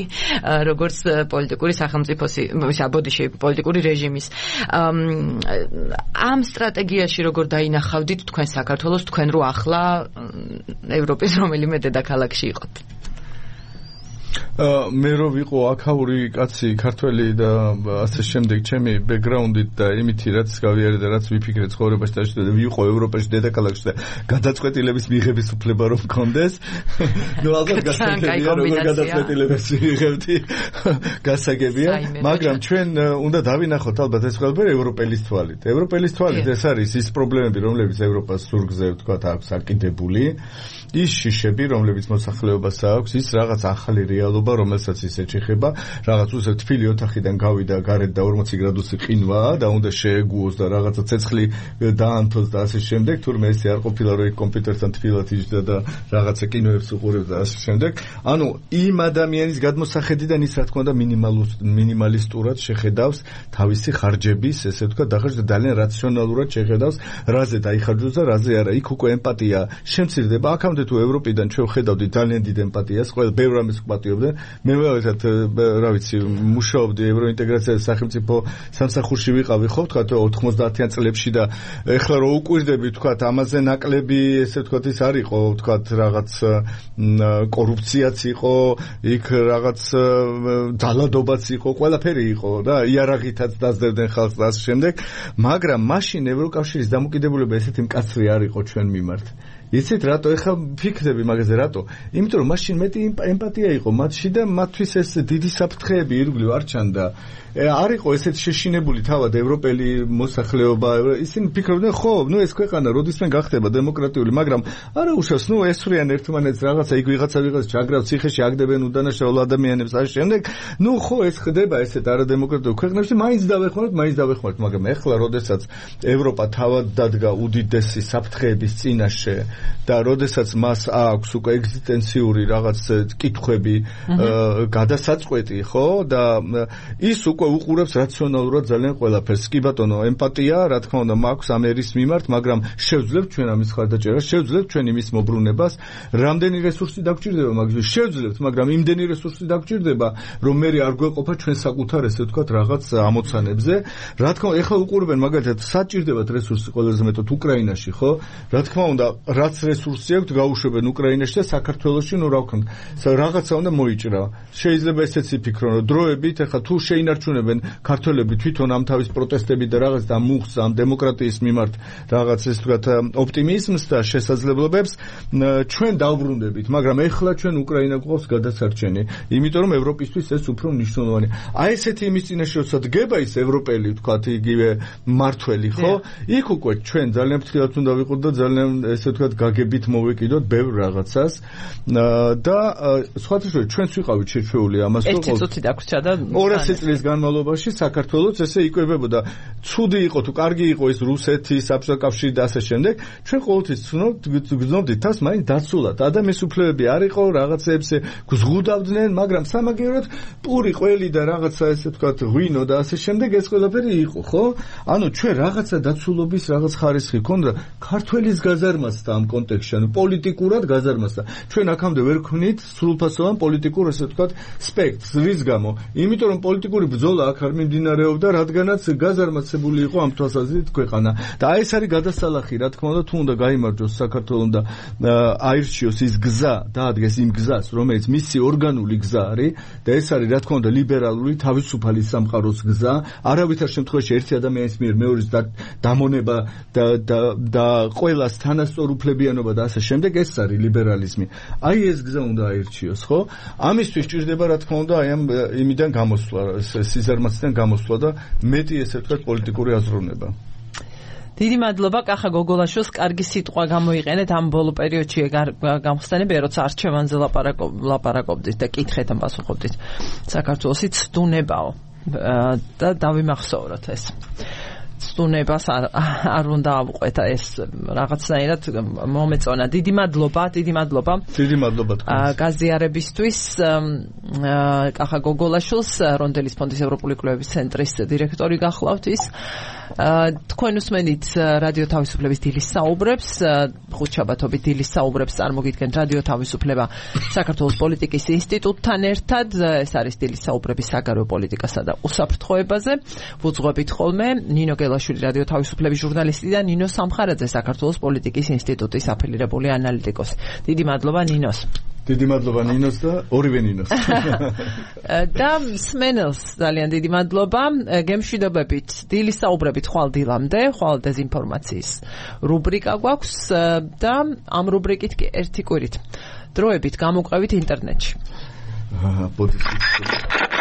როგორც პოლიტიკური სახელმწიფოს საბოდიში პოლიტიკური რეჟიმის ამ სტრატეგიაში როგორ დაინახავდით თქვენ საქართველოს თქვენ რო ახლა ევროპის რომელიმე დედაქალაქში იყოთ მე რო ვიყო აქაური კაცი ქართველი და ასე შემდეგ ჩემი ბექგრაუნდით და იმითი რაც გავიარე და რაც ვიფიქრე ცხოვრებაში და ვიყო ევროპაში დედაქალაქში და გადაწყვეტილების მიღების უფლება რომ მქონდეს ნუ ალბათ გასაგებია როგორ გადაწყვეტილებას ვიღებდი გასაგებია მაგრამ ჩვენ უნდა დავინახოთ ალბათ ეს ყველაფერი ევროპელის თვალით ეს არის ის პრობლემები რომლებიც ევროპას სურგზე ვთქვათ აქვს აკიდებული ის შიშები რომლებიც მოსახლეობას აქვს ის რაღაც ახალი რეალობა რომელსაც ის ეჩეხება რაღაც უცებ თბილი ოთახიდან გავიდა გარეთ და 40 გრადუსი ყინვა და უნდა შეეგუოს და რაღაცა ცეცხლი დაანთოს და ასე შემდეგ თურმე ესე არ ყოფილა რომ კომპიუტერთან თბილად იჯდა და რაღაცა კინოებს უყურებდა და ასე შემდეგ ანუ იმ ადამიანის გადმოსახედიდან ის რა თქმა უნდა მინიმალისტურად შეხედავს თავისი ხარჯების ესე ვთქვათ და ძალიან რაციონალურად შეხედავს რაზე დაიხარჯოს და რაზე არა იქ უკვე ემპათია შემცირდება აქამდე თუ ევროპიდან ჩვენ ხედავდით ძალიან დიდ ემპათიას ყველა ბევრ ამის ვპატიობდნენ მე ვეცად რა ვიცი მუშაობდი ევროინტეგრაციის სახელმწიფო სამსახურში ვიყავი ხო თქვა 90-იან წლებში და ეხლა რო უკვირდები თქვა ამაზე ნაკლები ესე თქვა ის არ იყო თქვა რაღაც კორუფციაც იყო იქ რაღაც ძალადობაც იყო ყველაფერი იყო და იარაღითაც დაძდებდნენ ხალხს და ასე შემდეგ მაგრამ მაშინ ევროკავშირის დამოკიდებულება ესეთი მკაცრი არ იყო ჩვენ მიმართ იცით რატო ეხლა ფიქრები მაგაზე რატო იმიტომ რომ მაშინ მეტი ემპათია იყო მათში და მათთვის ეს დიდი საფრთხეები ირგვლივ არ ჩანდა არ იყო ესეთ შეშინებული თავად ევროპელი მოსახლეობა ისინი ფიქრობდნენ ხო ნუ ეს ქვეყანა როდისმე გახდება დემოკრატიული მაგრამ არა უშავს ნუ ესვრიან ერთმანეთს რაღაცა იქ ვიღაცა ჩაგრავს ციხეში აგდებენ უდანაშაულ ადამიანებს ასე შემდეგ ნუ ხო ეს ხდება ესეთ არადემოკრატიულ ქვეყნებში მაინც დავეხმაროთ მაგრამ ეხლა როდესაც ევროპა თავად დადგა უდიდესი საფრთხეების წინაშე და როდესაც მას აქვს უკვე ეგზისტენციური რაღაც კითხვები გადასაწყვეტი, ხო? და ის უკვე უყურებს რაციონალურად ძალიან ყველაფერს. კი ბატონო, ემპათია, რა თქმა უნდა, მაქვს ამ ერის მიმართ, მაგრამ შევძლებთ ჩვენ ამის ხარდაჭერას, შევძლებთ ჩვენ იმის მობრუნებას, რამდენი რესურსი დაგჭირდება მაგის, შევძლებთ, მაგრამ იმდენი რესურსი დაგჭირდება, რომ მე არ გვეყოფა ჩვენ საკუთარ ესე ვთქვათ რაღაც ამოცანებზე. რა თქმა უნდა, ეხლა უყურებენ მაგალითად საჭირდებათ რესურსი ყველაზე მეტად უკრაინაში, ხო? რა თქმა უნდა, რაც რესურსი აქვს, გაუშვებენ უკრაინაში და საქართველოში, ნუ რა ვქნა, რაღაცა უნდა მოიჭრა. შეიძლება ესეც იფიქრონ, რომ დროებით ეხლა თუ შეინარჩუნებენ ქართველები თვითონ ამ თავის პროტესტები და რაღაც და მუხს ამ დემოკრატიის მიმართ რაღაც ეს ვთქვათ ოპტიმიზმს და შესაძლებლობებს, ჩვენ დავბრუნდებით, მაგრამ ეხლა ჩვენ უკრაინა გვყავს გადასარჩენი, იმიტომ რომ ევროპისთვის ეს უფრო მნიშვნელოვანია. აი ესეთი იმის წინაშე როცა დგება ის ევროპელი ვთქვათ იგივე მართველი, ხო? იქ უკვე ჩვენ ძალიან ფრთხილად უნდა ვიყოთ და ძალიან ესე ვთქვათ გაგებით მოვეკიდოთ ბევრ რაღაცას და სხვათა შორის ჩვენც ვიყავით შეჩვეული ამას რომ 1 წუთი დაგვრჩა და 200 წლის განმავლობაში საქართველოს ესე იკვებებოდა. ცუდი იყო თუ კარგი იყო ის რუსეთი, საბჭოთა კავშირი და ასე შემდეგ, ჩვენ ყოველთვის გძნობდით თავს მაინც დაცულად. ადამიანის უფლებები არ იყო, რაღაცეებს გზღუდავდნენ, მაგრამ სამაგიეროდ პური ყველი და რაღაცა ესე ვთქვათ ღვინო და ასე შემდეგ ეს ყველაფერი იყო, ხო? ანუ ჩვენ რაღაცა დაცულობის რაღაც ხარისხი ქონდა ქართველის გაზარმასთან ამ კონტექსტში, ანუ პოლიტიკურად გაზარმასთან. ჩვენ აქამდე ვერ ქმნით სრულფასოვან პოლიტიკურ ესე ვთქვათ სპექტრს, რის გამო? იმიტომ რომ პოლიტიკური ბრძოლა აქ არ მიმდინარეობდა, რადგანაც გაზარმაცებული იყო ამ თვალსაზრისით ქვეყანა. და აი ეს არის გადასალახი, რა თქმა უნდა, თუ უნდა გაიმარჯვოს საქართველოს და აირჩიოს ის გზა, დაადგეს იმ გზას, რომელიც მისი ორგანული გზა არის და ეს არის რა თქმა უნდა ლიბერალური თავისუფალი სამყაროს გზა, არავითარ შემთხვევაში ერთი ადამიანის მიერ მეორის დამონება და ყველას თანასწორ უფლებიანობა და ასე შემდეგ, ეს არის ლიბერალიზმი. აი ეს გზა უნდა აირჩიოს, ხო? ამისთვის ჭირდება რა თქმა უნდა აი ამ იმიდან გამოსვლა, სიზარმაციდან გამოსვლა და მეტი ესე ვთქვათ პოლიტიკური აზროვნება. დიდი მადლობა კახა გოგოლაშვილს, კარგი სიტყვა გამოიყენეთ ამ ბოლო პერიოდში გამხსნენებია, როცა არჩევანზე ლაპარაკობდით და კითხეთ ან პასუხობდით. საქართველოსი ცდუნებაო და დავიმახსოვროთ ეს. ცდუნებას არ უნდა ავყვეთ ეს რაღაცნაირად მომეწონა. დიდი მადლობა. დიდი მადლობა თქვენ. გაზიარებისთვის კახა გოგოლაშვილს, რონდელის ფონდის ევროპული კვლევების ცენტრის დირექტორი გახლავთ ის. თქვენ უსმენით რადიო თავისუფლების დილის საუბრებს, ხუთშაბათობით დილის საუბრებს წარმოგიდგენთ რადიო თავისუფლება საქართველოს პოლიტიკის ინსტიტუტთან ერთად. ეს არის დილის საუბრები საგარეო პოლიტიკასა და უსაფრთხოებაზე. ვუძღვებით ხოლმე ნინო გელაშვილი რადიო თავისუფლების ჟურნალისტი და ნინო სამხარაძე საქართველოს პოლიტიკის ინსტიტუტის აფილირებული ანალიტიკოსი. დიდი მადლობა ნინოს. დიდი მადლობა ნინოს და ორივე ნინოს. და სმენელს ძალიან დიდი მადლობა. გემშვიდობებით დილის საუბრებით ხვალ დილამდე, ხვალ დეზინფორმაციის რუბრიკა გვაქვს და ამ რუბრიკით კი ერთი კვირით დროებით გამოყვებით ინტერნეტში. ბოდიშით